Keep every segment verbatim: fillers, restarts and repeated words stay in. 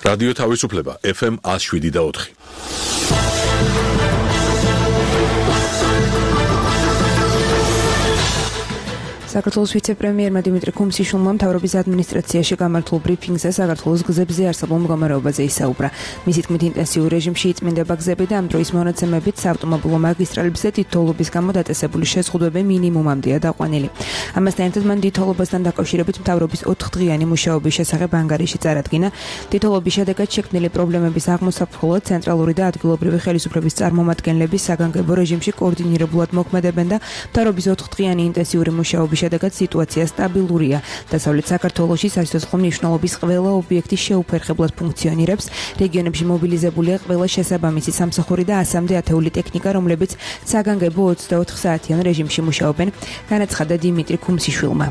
რადიო თავისუფლება ეფ ემ one oh seven და four. საქართველოს ვიცე-პრემიერმა დიმიტრი ქუმსიშვილმა მთავრობის ადმინისტრაციაში გამართულ ბრიფინგზე საქართველოს გზებზე არსებულ მდგომარეობაზე ისაუბრა. მისი თქმით, ინტენსიურ რეჟიმში იწმინდება გზები და ამ დროის მონაცემებით საავტომობილო მაგისტრალებზე თითოეულობის გამო დაწესებული შეზღუდვები მინიმუმამდეა დაყვანილი. ამასთან ერთად მან თითოეულობასთან დაკავშირებით მთავრობის ოთხდღიანი მუშაობის შესახებ ანგარიში წარადგინა. თითოეულობის შედეგად შექმნილი პრობლემების აღმოსაფხვრად ცენტრალური და ადგილობრივი ხელისუფლების წარმომადგენლები საგანგებო რეჟიმში კოორდინირებულად მოქმედებენ და მთავრობის ოთხდღიანი ინტენსიური მუშაობის შედეგად სიტუაცია სტაბილურია. დასავლეთ საქართველოში სასიცოცხლო მნიშვნელობის ყველა ობიექტი შეუფერხებლად ფუნქციონირებს. რეგიონებში მობილიზებულია ყველა შესაბამისი სამსახური და ასამდე ათეული ტექნიკა, რომლებიც საგანგებო ოცდაოთხ საათიან რეჟიმში მუშაობენ, განაცხადა დიმიტრი ქუმსიშვილმა.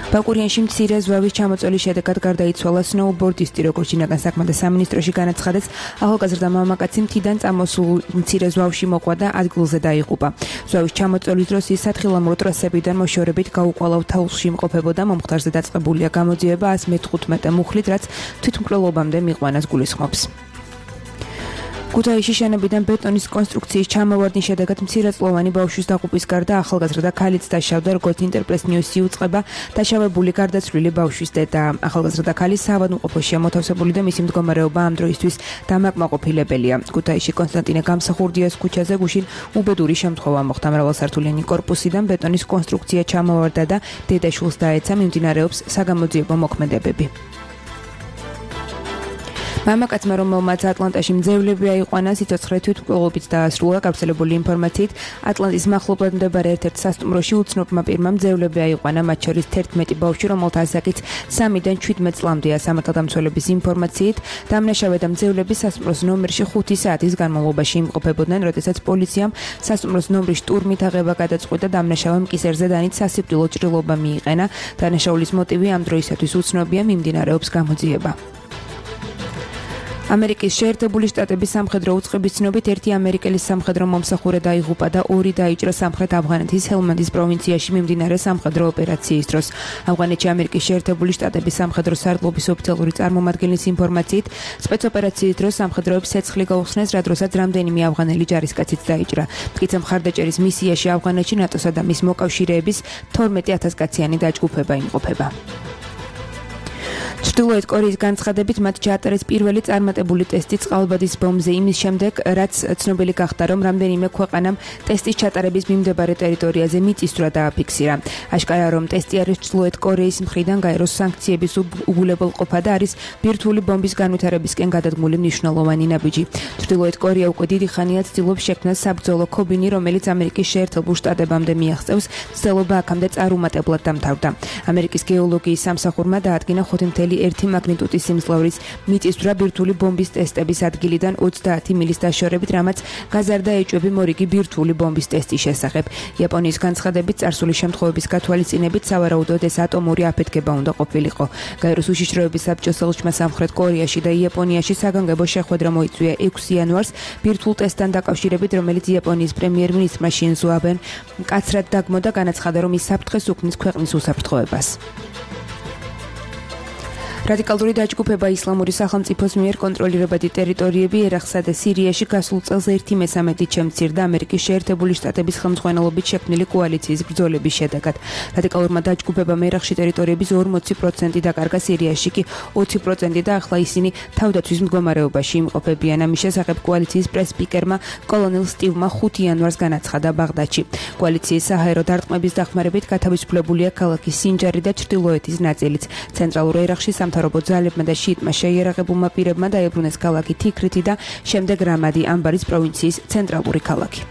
ბაკურიანში მცირე ზვავის ჩამოწოლის შედეგად გარდაიცვალა სნოუბორდისტი, როგორც შინაგან საქმეთა სამინისტროში განაცხადეს, ახალგაზრდა მამაკაცი მთიდან წამოსულ მცირე ზვავში მოყვა და ადგილზე დაიღუპა. ზვავის ჩამოწოლის დროს ის სათხილამურო ტრასებიდან მოშორებით გაუყვალავ თაულში იმყოფებოდა. მომხდარზე დაწყებულია გამოძიება one hundred fifteen მუხლით, რაც თვითმკვლელობამდე მიყვანას გულისხმობს. ქუთაისში შენებიდან ბეტონის კონსტრუქციის ჩამოვარდნის შედეგად მცირეწლოვანი ბავშვის დაღუპვის გარდა ახალგაზრდა ქალიც დაშავდა, როგორც ინტერპრეს ნიუსი უწყება, დაშავებული გარდაცვლილი ბავშვის დედა. ახალგაზრდა ქალი საავადმყოფოშია მოთავსებული და მისი მდგომარეობა ამ დროისთვის დამაკმაყოფილებელია. ქუთაისში კონსტანტინე გამსახურდიას ქუჩაზე გუშინ უბედური შემთხვევა მოხდა. მრავალსართულიანი კორპუსიდან ბეტონის კონსტრუქცია ჩამოვარდა და დედაშვილს დაეცა. მიმდინარეობს საგამოძიებო მოქმედებები. მამაკაცმა, რომელმაც ატლანტაში მძევლები აიყვანა, სიცოცხლე თვითმკვლელობით დაასრულა. გავრცელებული ინფორმაციით, ატლანტის მახლობლად მდებარე ერთ-ერთ სასტუმროში უცნობმა პირმა მძევლები აიყვანა, მათ შორის თერთმეტი ბავშვი, რომელთა ასაკიც სამიდან შვიდმეტ წლამდეა. სამართალდამცველების ინფორმაციით, დამნაშავე და მძევლები სასტუმროს ნომერში ხუთი საათის განმავლობაში იმყოფებოდნენ, როდესაც პოლიციამ სასტუმროს ნომრის შტურმით აღება გადაწყვიტა. დამნაშავემ კისერზე დანით სასიკვდილო ჭრილობა მიიყენა. დანაშაულის მოტივი ამ დროისათვის უცნობია, მიმდინარეობს გამოძიება. ამერიკის შეერთებული შტატების სამხედრო უწყების ცნობით ერთი ამერიკელის სამხედრო მომსახურე დაიღუპა და ორი დაიჭრა სამხრეთ ავღანეთის ჰელმანდის პროვინციაში მიმდინარე სამხედრო ოპერაციის დროს. ავღანეთში ამერიკის შეერთებული შტატების სამხედრო სარდლობის ოფიციალური წარმომადგენლის ინფორმაციით, სპეცოპერაციის დროს სამხედროებს ცეცხლი გაუხსნეს, რა დროსაც რამდენიმე ავღანელი ჯარისკაციც დაიჭრა. მტკიცე მხარდაჭერის მისიაში ავღანეთში ნატოსა და მის მოკავშირეების თორმეტი ათას კაციანი დაჯგუფება იმყოფება. ჩრდილოეთ კორეის განცხადებით მათ ჩაატარეს პირველი წარმატებული ტესტი წყალბადის ბომბზე იმის შემდეგ, რაც ცნობილი გახდა, რომ რამდენიმე ქვეყანამ ტესტის ჩატარების მიმდებარე ტერიტორიაზე მიწისძვრა დააფიქსირა. აშკარაა, რომ ტესტი არის ჩრდილოეთ კორეის მხრიდან გაეროს სანქციების უგულებელყოფა და არის ბირთვული ბომბის განვითარებისკენ გადადგმული მნიშვნელოვანი ნაბიჯი. ჩრდილოეთ კორეა უკვე დიდი ხანია ცდილობს შექმნას საბრძოლო ქობინი, რომელიც ამერიკის შეერთებულ შტატებამდე მიაღწევს. მცდელობა აქამდე წარუმატებლად დამთავრდა. ამერიკის გეოლოგიის სამსახურმა დაადგინა ხუთი ერთი მაგნიტუდის სიმძლავრის მიწისძვრა ბირთვული ბომბის ტესტების ადგილიდან ოცდაათი მილის დაშორებით, რამაც გაზარდა ეჭვები მორიგი ბირთვული ბომბის ტესტის შესახებ. იაპონიის განცხადებით, წარსული შემთხვევების გათვალისწინებით, სავარაუდოდ ეს ატომური აფეთქება უნდა ყოფილიყო. გაეროს უშიშროების საბჭოს ელჩმა სამხრეთ კორეაში და იაპონიაში საგანგებო შეხვედრა მოიწვია ექვსი იანვარს ბირთვულ ტესტთან დაკავშირებით, რომელიც იაპონიის პრემიერ-მინისტრმა შინზო აბემ მკაცრად დაგმო და განაცხადა, რომ ის საფრთხეს უქმნის ქვეყნის უსაფრთხოებას. რადიკალური დაჯგუფება ისლამური სახელმწიფოს მიერ კონტროლირებადი ტერიტორიები ერაყსა და სირიაში გასულ წელს ერთი მესამედით შემცირდა ამერიკის შეერთებული შტატების ხელმძღვანელობით შექმნილი კოალიციის ბრძოლების შედეგად. რადიკალურმა დაჯგუფებამ ერაყში ტერიტორიების ორმოცი პროცენტი დაკარგა, სირიაში კი ოცი პროცენტი და ახლა ისინი თავდაცვის მდგომარეობაში იმყოფებიან. ამის შესახებ კოალიციის პრეს-სპიკერმა კოლონელ სტივმა ხუთი იანვარს განაცხადა ბაღდადში. კოალიციის საჰაერო დარტყმების დახმარებით გათავისუფლებულია ქალაქი სინჯარი და ჩრდილოეთის ნაწილიც. ცენტრალურ ერაყში სამთავრობო ძალებმა და შიიტმა შეიარაღებულმა პირებმა დაებრუნეს ქალაქი თიქრითი და შემდეგ რამადი, ამბარის პროვინციის ცენტრალური ქალაქი.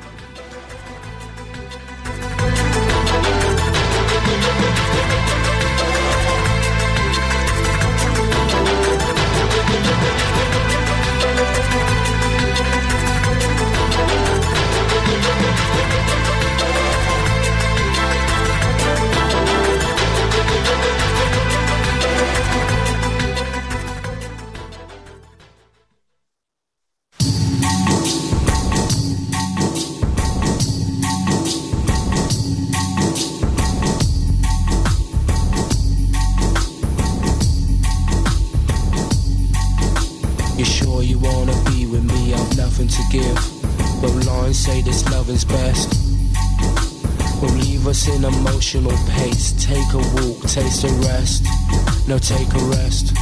nothing to give. But lines say this loving's best. Will leave us in emotional pace. Take a walk, taste a rest. No, take a rest.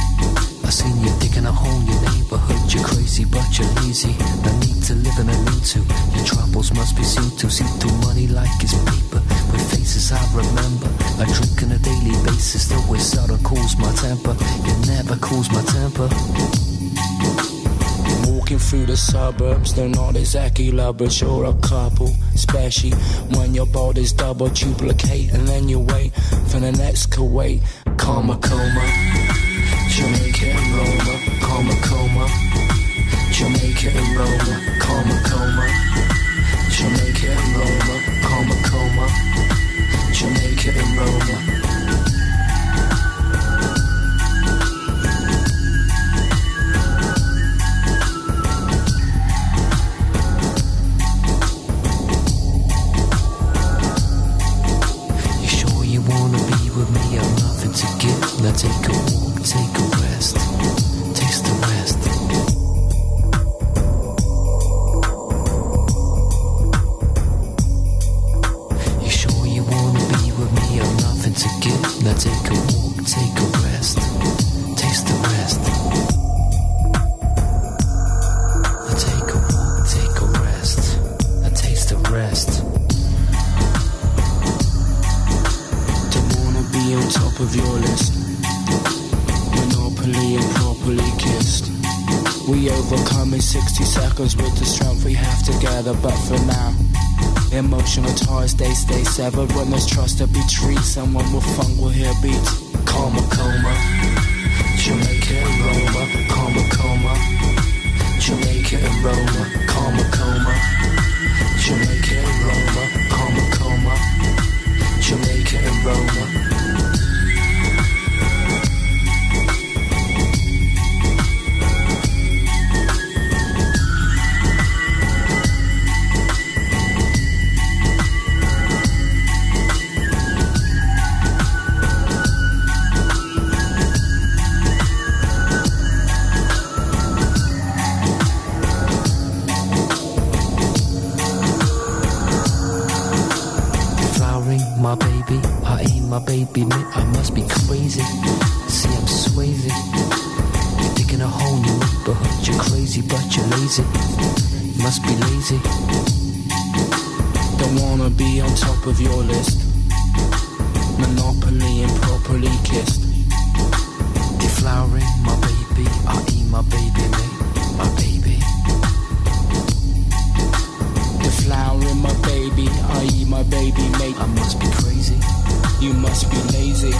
I seen you digging a hole in your neighborhood. You're crazy, but you're lazy. No need to live and I need to. Your troubles must be seen to. See through money like it's paper. With faces I remember. I drink on a daily basis. The way soda cools my temper. It never cools my temper. Walking through the suburbs, they're not exactly lovers, you're a couple. Especially when your body's double duplicate. And then you wait for the next Kuwait. Karma coma, Jamaica and Roma. Karma coma, Jamaica and Roma. Karma coma, Jamaica and Roma. Karma coma, Jamaica and Roma. Now take a walk, take a rest, taste the rest. You sure you wanna be with me? I've nothing to give. Now take a walk, take a rest, taste the rest. Now take a walk, take a rest, now taste the rest. Don't wanna be on top of your list. And properly kissed. We overcome in sixty seconds with the strength we have together. But for now, emotional ties they stay severed. When there's trust to be treated, someone with funk will hear beats. Karma coma, Jamaica and Roma. Karma coma, Jamaica and Roma. Karma coma, Jamaica and Roma. Karma coma, Jamaica and Roma. My baby, I ain't my baby, man, I must be crazy. See, I'm swayzy. You're digging a hole in your neighborhood. You're crazy, but you're lazy. You must be lazy. Don't wanna be on top of your list. Monopoly and properly kissed. Deflowering my baby, I eat my baby, man, my baby. Deflowering my baby, I eat my baby, mate. I must be crazy. You must be lazy.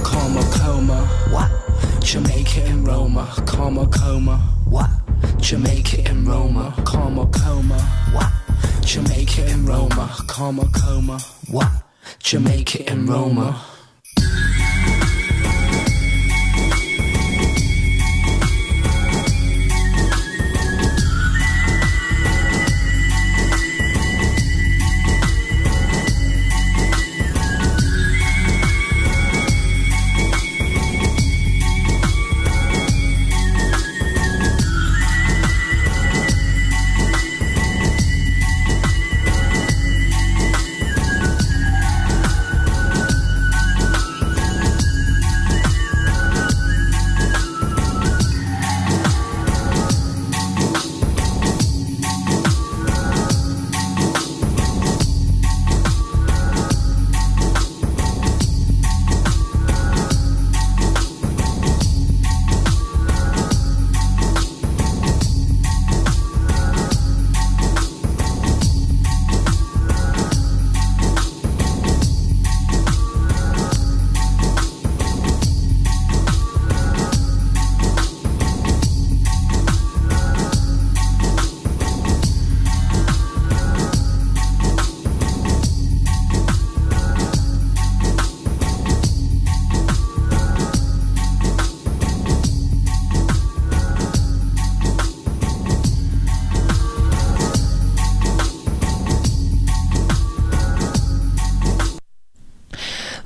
Karma coma. What? Jamaica and Roma. Karma coma. What? Jamaica and Roma. Karma coma. What? Jamaica and Roma. Karma coma. What? Jamaica and Roma.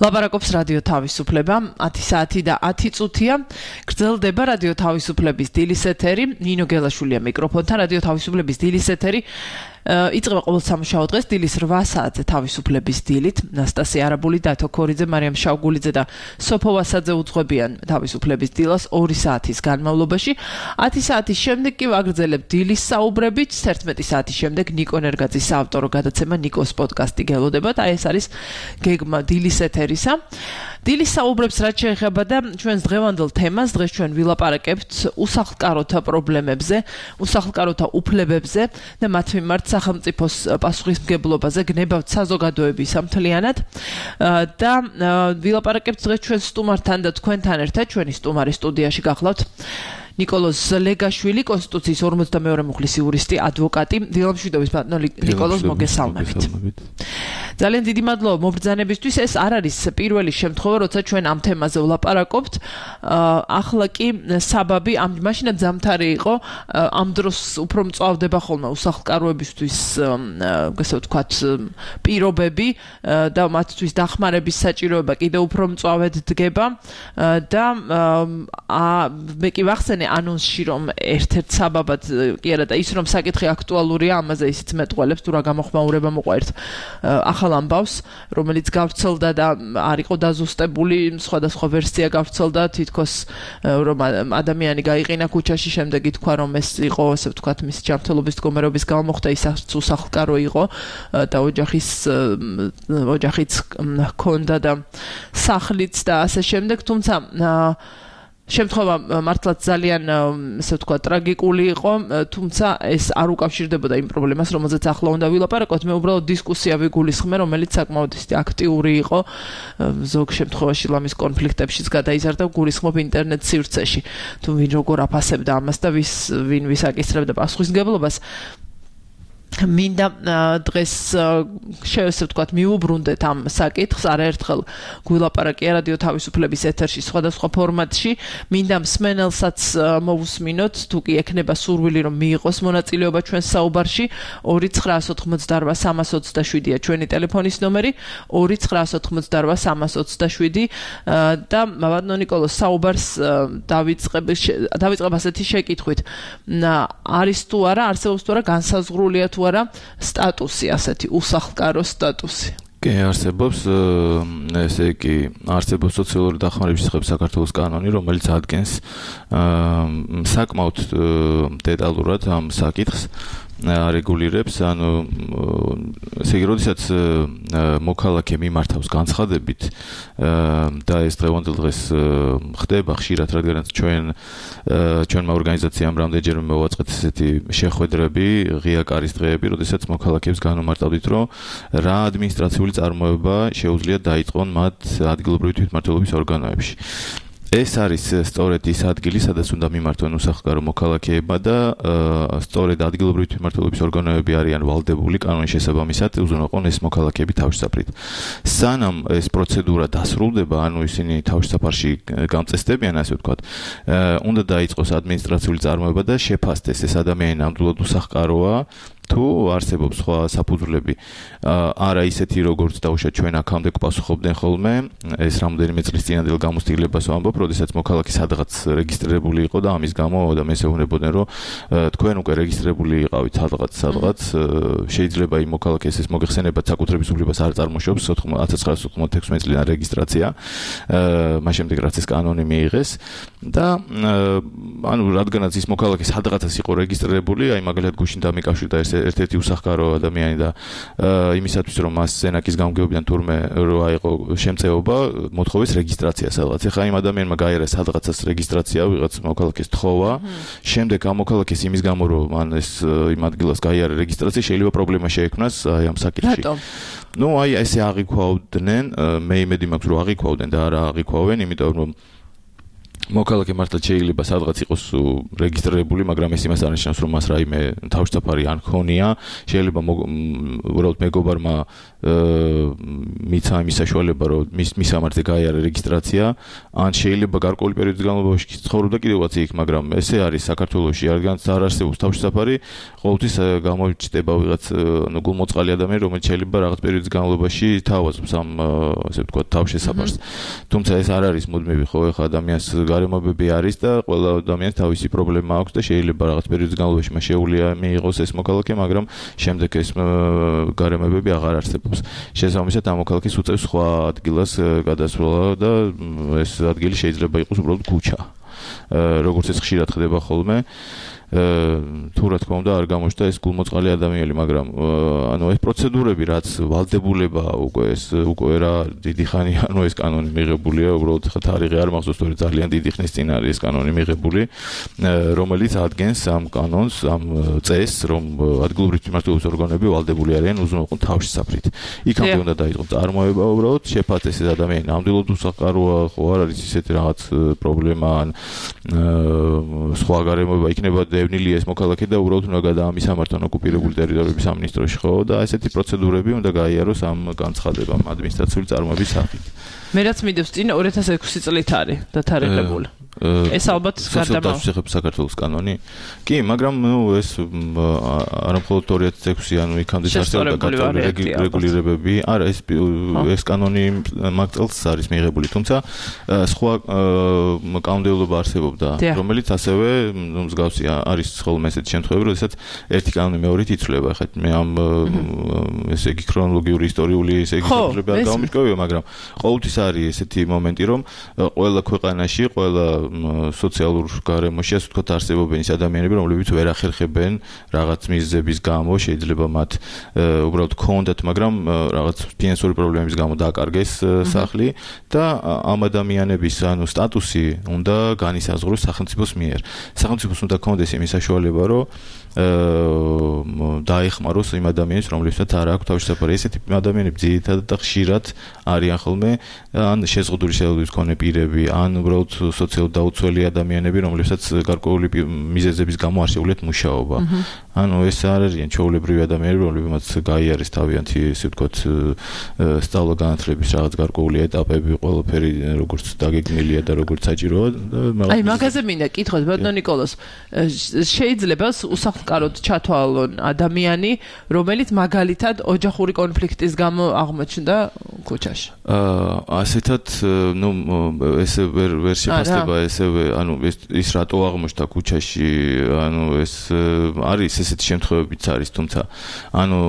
ლაპარაკობს რადიო თავისუფლება, ათი საათი და ათი წუთია. გრძელდება რადიო თავისუფლების დილის ეთერი. ნინო გელაშვილია მიკროფონთან. რადიო თავისუფლების დილის ეთერი იწყება ყოველ სამუშაო დღეს დილის რვა საათზე თავისუფლების დილით. ნასტასია არაბული, დათო ქორიძე, მარიამ შავგულიძე და სოფო ვასაძე უძღვებიან თავისუფლების დილას ორი საათის განმავლობაში. ათი საათის შემდეგ კი ვაგრძელებთ დილის საუბრებით. ერთმეტი საათის შემდეგ ნიკო ნერგაძის საავტორო გადაცემა ნიკოს პოდკასტი გელოდებათ. აი ეს არის გეგმა დილის ეთერისა. დილის საუბრებს რაც შეეხება და ჩვენს დღევანდელ თემას, დღეს ჩვენ ვილაპარაკებთ უსახლკაროთა პრობლემებზე, უსახლკაროთა უფლებებზე და მათ მიმართ სახელმწიფოს პასუხისმგებლობაზე, გნებავთ საზოგადოების მთლიანად და ვილაპარაკებთ დღეს ჩვენ სტუმართან და თქვენთან ერთად, ჩვენი სტუმარი სტუდიაში გახლავთ. ნიკოლოზ ლეგაშვილი, კონსტიტუციის ორმოცდამეორე მუხლის იურისტი, ადვოკატი, დილამშვიდობის ბატონო ნიკოლოზ, მოგესალმებით. ძალიან დიდი მადლობა მობრძანებისთვის. ეს არ არის პირველი შემთხვევა, როცა ჩვენ ამ თემაზე ვლაპარაკობთ. ახლა კი საბაბი ამ მაშინაც ზამთარი იყო, ამ დროს უფრო მწვავდება ხოლმე უსახლკაროებისთვის, ასე ვთქვათ, პირობები და მათთვის დახმარების საჭიროება კიდევ უფრო მწვავედ დგება და მე კი ვახსენე ანონსში რომ ერთ-ერთ საბაბად კი არა და ის რომ საკითხი აქტუალურია, ამაზე ისიც მეტყველებს თუ რა გამოხმაურება მოყვა ერთ ახალ ამბავს, რომელიც გავრცელდა და არ იყო დაზუსტებული, სხვადასხვა ვერსია გავრცელდა, თითქოს რომ ადამიანი გაიყინა ქუჩაში, შემდეგ ითქვა რომ ეს იყო, ასე ვთქვათ, მისი ჯანმრთელობის მდგომარეობის გამო მოხდა, ის უსახლკარო იყო და ოჯახის ოჯახიც ჰქონდა და სახლიც და ასე შემდეგ, თუმცა შემთხვევა მართლაც ძალიან, ასე ვთქვათ, ტრაგიკული იყო, თუმცა ეს არ უკავშირდებოდა იმ პრობლემას, რომელზეც ახლა უნდა ვილაპარაკოთ. მე უბრალოდ დისკუსია ვიგულისხმე, რომელიც საკმაოდ აქტიური იყო, ზოგ შემთხვევაში ლამის კონფლიქტებშიც გადაიზარდა, გულისხმობ ინტერნეტ სივრცეში. თუ ვინ როგორ აფასებდა ამას და ვის ვინ ვის აკისრებდა პასუხისმგებლობას. მინდა დღეს შევესწრებთ, ვთქვათ, მიუბრუნდეთ ამ საკითხს, არაერთხელ გვილაპარაკია რადიო თავისუფლების ეთერში სხვადასხვა ფორმატში. მინდა მსმენელსაც მოვუსმინოთ, თუ კი ექნება სურვილი რომ მიიღოს მონაწილეობა ჩვენს საუბარში, ორი ცხრაას ოთხმოცდარვა სამას ოცდაშვიდია ჩვენი ტელეფონის ნომერი, ორი ცხრაას ოთხმოცდარვა სამას ოცდაშვიდი და ბატონო ნიკოლოზ, საუბარს დავიწყებ დავიწყებ ასეთი შეკითხვით. არის თუ არა, არსებობს თუ არა განსაზღვრულია თუ არა სტატუსი, ასეთი უსახლკარო სტატუსი? კი, არსებობს, ესე იგი, არსებობს სოციალური დახმარების შესახებ საქართველოს კანონი, რომელიც ადგენს საკმაოდ დეტალურად ამ საკითხს, რეგულირებს, ანუ ესე იგი, როდესაც მოქალაქე მიმართავს განცხადებით და ეს დღევანდელ დღეს ხდება ხშირად, რადგანაც ჩვენ ჩვენმა ორგანიზაციამ რამდენჯერმე მოვაწყეთ ესეთი შეხვედრები, ღია კარის დღეები, როდესაც მოქალაქეებს განმარტავდით, რომ რა ადმინისტრაციული წარმოება შეუძლია დაიწყონ მათ ადგილობრივი თვითმმართველობის ორგანოებში. ეს არის სწორედ ის ადგილი, სადაც უნდა მიმართონ უსახლკარო მოქალაქეება და სწორედ ადგილობრივი თვითმმართველობის ორგანოები არიან ვალდებული კანონის შესაბამისად უზრუნველყონ ეს მოქალაქეები თავშესაფრით. სანამ ეს პროცედურა დასრულდება, ანუ ისინი თავშესაფარში გამწესდებიან, ასე ვთქვათ, უნდა დაიწყოს ადმინისტრაციული წარმოება და შეფასდეს ეს ადამიანი ნამდვილად უსახლკაროა თუ არსებობს სხვა საფუძვლები. არა ისეთი, როგორც დაუშვათ ჩვენ აქამდე გვპასუხობდნენ ხოლმე, ეს რამდენიმე წლის წინანდელ გამოცდილებას ვამბობ, როდესაც მოქალაქე სადღაც რეგისტრირებული იყო და ამის გამო და მესეუნებოდნენ, რომ თქვენ უკვე რეგისტრირებული იყავით სადღაც, სადღაც შეიძლება იმ მოქალაქეს ეს მოგეხსენებათ საკუთრების უფლებას არ წარმოშობს ათას ცხრაას ოთხმოცდაექვსმეტ წლიდან რეგისტრაცია, მას შემდეგ რაც ეს კანონი მიიღეს და ანუ რადგანაც ის მოქალაქე სადღაცას იყო რეგისტრირებული, აი მაგალითად გუშინ დამიკავშირდა ეს ერთ-ერთი უსახლკარო ადამიანი და იმისათვის რომ მას სენაკის გამგეობიდან თურმე რო აიყო შემწეობა, მოთხოვეს რეგისტრაცია სადღაც. ეხლა იმ ადამიანმა გაიარა სადღაცას რეგისტრაცია, ვიღაც მოქალაქეს თხოვა, შემდეგ ამ მოქალაქეს იმის გამო რომ მან ეს იმ ადგილას გაიარა რეგისტრაცია, შეიძლება პრობლემა შეექმნას აი ამ საკითხში. ნუ აი ესე აღიქვავდნენ, მე იმედი მაქვს რომ აღიქვავდნენ და არა აღიქვავენ, იმიტომ რომ მოქალაქე მართლა შეიძლება სადღაც იყოს რეგისტრირებული, მაგრამ ეს იმას არ ნიშნავს, რომ მას რაიმე თავშესაფარი არ ქონია. შეიძლება უბრალოდ მეგობარმა მიცა იმის საშუალება, რომ მის მისამართზე გაიარა რეგისტრაცია, ან შეიძლება გარკვეული პერიოდის განმავლობაში ცხოვრობდა კიდევაც იქ, მაგრამ ესე არის საქართველოში, რადგან არ არსებობს თავშესაფარი, ყოველთვის გამოჩნდება ვიღაც ანუ გულმოწყალი ადამიანი, რომელიც შეიძლება რაღაც პერიოდის განმავლობაში თავაზობს ამ ასე ვთქვათ თავშესაფარს. თუმცა ეს არ არის მუდმივი, ხო, ეხლა ადამიანს გარემოებები არის და ყველა ადამიანს თავისი პრობლემა აქვს და შეიძლება რაღაც პერიოდის განმავლობაში მას შეუძლია მიიღოს ეს მოქალაქე, მაგრამ შემდეგ ეს გარემოებები აღარ არსებობს. შესაბამისად ამ მოქალაქეს უწევს სხვა ადგილას გადასვლა და ეს ადგილი შეიძლება იყოს უბრალოდ ქუჩა. როგორც ეს ხშირად ხდება ხოლმე. თუ რა თქმა უნდა არ გამოჩნდა ეს გულმოწყალი ადამიანი, მაგრამ ანუ ეს პროცედურები რაც ვალდებულება უკვე ეს უკვე რა დიდი ხანი ანუ ეს კანონი მიღებულია, უბრალოდ ხა თარიღი არ მახსოვს, თორე ძალიან დიდი ხნის წინ არის ეს კანონი მიღებული, რომელიც ადგენს ამ კანონს, ამ წესს, რომ ადგილობრივი მმართველობის ორგანოები ვალდებული არიან უზრუნველყო თავშესაფრით. იქამდე უნდა დაიწყოს წარმოება, უბრალოდ შეფასდეს ეს ადამიანი ნამდვილად უსახკაროა, ხო არ არის ისეთი რაღაც პრობლემა ან სხვა გარემოება იქნება დევნილი ეს მოქალაქე და უბრალოდ უნდა გადაამისამართონ ოკუპირებული ტერიტორიების სამინისტროში, ხო და ესეთი პროცედურები უნდა გაიაროს ამ განცხადებამ ადმინისტრაციული წარმოების სახით. მე რაც მიდევს წინ ორი ათას ექვსი წლით არის დათარიღებული. ეს ალბათ გარდამავალ საქართველოს კანონი. კი, მაგრამ ნუ ეს არა მხოლოდ ორი ათას ექვსი, ანუ იქამდე არსებობდა გაწეული რეგულირებები. არა, ეს ეს კანონი მაგ წელს არის მიღებული, თუმცა სხვა კანონმდებლობა არსებობდა, რომელიც ასევე მსგავსი არის ხოლმე ესეთი შემთხვევები, როდესაც ერთი კანონი მეორით იცვლება. ხა მე ამ ესე იგი ქრონოლოგიური ისტორიული ესე იგი შემთხვევები არ გამომიჩნევია, მაგრამ ყოველთვის არის ესეთი მომენტი, რომ ყველა ქვეყანაში, ყველა სოციალურ გარემოში, ასე ვთქვათ, არსებობენ ის ადამიანები, რომლებიც ვერ ახერხებენ რაღაც მიზეზების გამო, შეიძლება მათ უბრალოდ ქონდათ, მაგრამ რაღაც ფინანსური პრობლემების გამო დააკარგეს სახლი და ამ ადამიანების ანუ სტატუსი უნდა განისაზღვროს სახელმწიფოს მიერ. სახელმწიფოს უნდა ქონდეს იმის საშუალება, რომ დაეხმაროს იმ ადამიანებს, რომლებსაც არ აქვს თავშესაფარი. ესეთი ადამიანები ძირითადად და ხშირად არიან ხოლმე ან შეზღუდული შეხედულების მქონე პირები, ან უბრალოდ სოციალურად დაუცველი ადამიანები, რომლებსაც გარკვეული მიზეზების გამო არ შეუძლიათ მუშაობა. ანუ ეს არ არიან ჩვეულებრივი ადამიანები, რომლებიც გაიარეს თავიანთი, ესე ვთქვათ, სწავლა-განათლების რაღაც გარკვეული ეტაპები, ყველაფერი როგორც დაგეგმილია და როგორც საჭიროა. აი, მაგაზე მინდა კითხოთ, ბატონო ნიკოლოზ, შეიძლება უსახლკაროდ ჩათვალონ ადამიანი, რომელიც მაგალითად ოჯახური კონფლიქტის გამო აღმოჩნდა ქუჩაში. აა, ასეთად, ნუ ესე ვერ ვერ შეფასდება ესევე, ანუ ის რატო აღმოჩნდა ქუჩაში, ანუ ეს არის ესეთი შემთხვევებიც არის, თუმცა ანუ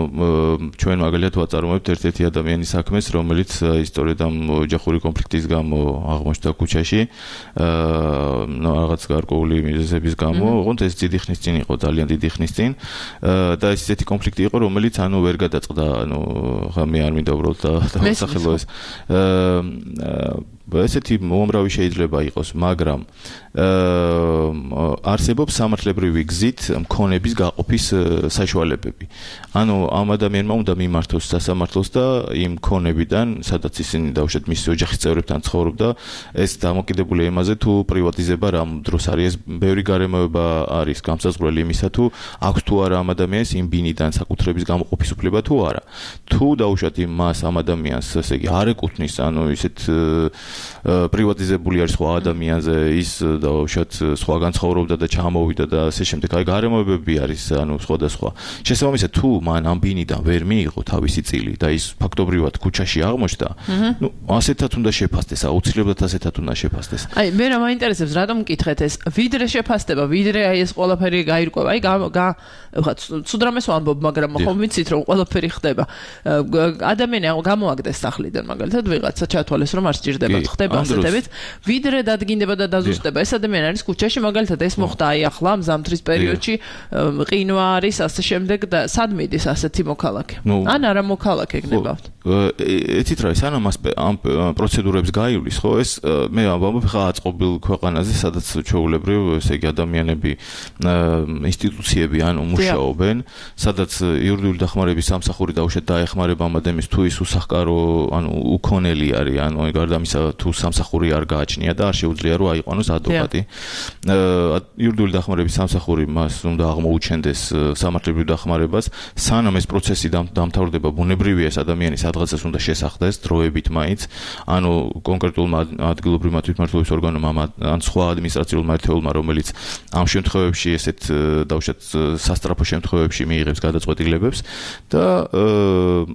ჩვენ მაგალითად ვაწარმოებთ ერთ-ერთი ადამიანის საქმეს, რომელიც ისტორიად ამ ოჯახური კონფლიქტის გამო აღმოჩნდა ქუჩაში, აა, ნუ რაღაც გარკვეული მიზეზების გამო, ოღონდ ეს დიდი ხნის წინ იყო, ძალიან დიდი ხნის წინ და ეს ესეთი კონფლიქტი იყო, რომელიც ანუ ვერ გადაწყდა, ანუ ხა მე არ მინდა უბრალოდ დავასახელო ეს აა ესეთი უამრავი შეიძლება იყოს, მაგრამ არსებობს სამართლებრივი გზით მქონების გაყოფის საშუალებები. ანუ ამ ადამიანმა უნდა მიმართოს სასამართლოს და იმ მქონებიდან, სადაც ისინი დაუშვათ მისი ოჯახის წევრებთან ცხოვრობდა, ეს დამოკიდებულია იმაზე, თუ პრივატიზება რამ დროს არის, ეს ბევრი გარემოება არის გამსაზღვრელი იმისა, თუ აქვს თუ არა ამ ადამიანს იმ ბინიდან საკუთრების გამოყოფის უფლება თუ არა. თუ დაუშვათ იმ მას ამ ადამიანს, ესე იგი, არ ეკუთვნის, ანუ ისეთ პრივატიზებული არის სხვა ადამიანზე, ის დაუშვათ სხვაგან ცხოვრობდა და ჩამოვიდა და ასე შემდეგ. აი გარემოებები არის, ანუ სხვადასხვა. შესაბამისად, თუ მან ამ ბინიდან ვერ მიიღო თავისი წილი და ის ფაქტობრივად ქუჩაში აღმოჩნდა, ნუ ასეთად უნდა შეფასდეს, აუცილებლად ასეთად უნდა შეფასდეს. აი მე რა მაინტერესებს, რატომ მკითხეთ ეს? ვიდრე შეფასდება, ვიდრე აი ეს ყველაფერი გაირკვევა. აი გა ხა ცუდრამეს ვამბობ, მაგრამ ხომ ვიცით რომ ყველაფერი ხდება. ადამიანი გამოაგდეს სახლიდან, მაგალითად ვიღაცა ჩათვალეს რომ არ სჭირდება, ხდება ასეთებით. ვიდრე დადგინდება და დაზუსტება, ეს ადამიანი არის ქუჩაში, მაგალითად ეს მოხდა აი ახლა მზამთრის პერიოდში, ყინვა არის, ასე შემდეგ და სად მიდის ასეთი მოქალაქე? ან არა მოქალაქე გნებავთ? ეთით რა ის ანამ ამ პროცედურებს გაივლის, ხო? ეს მე ამბობ ხა აწყობილ ქვეყანაზე, სადაც ჩვეულებრივ, ესე იგი ადამიანები, ინსტიტუციები ანუ მუშაობენ, სადაც იურიდიული დახმარების სამსახური დაუშვათ დაეხმარება ამ ადამიანს თუ ის უსახკარო, ანუ უქონელი არის, ანუ გარდა ამისა თუ სამსახური არ გააჩნია და არ შეუძლია რომ აიყვანოს ადვოკატი. იურიდიული დახმარების სამსახური მას უნდა აღმოუჩენდეს სამართლებრივ დახმარებას, სანამ ეს პროცესი დამთავრდება, ბუნებრივია ეს ადამიანი სადღაცას უნდა შესახდეს დროებით მაინც, ანუ კონკრეტულმა ადგილობრივმა თვითმმართველობის ორგანომა ან სხვა ადმინისტრაციულმა ერთეულმა, რომელიც ამ შემთხვევებში ესეთ დაუშვათ სასტრაფო შემთხვევებში მიიღებს გადაწყვეტილებებს და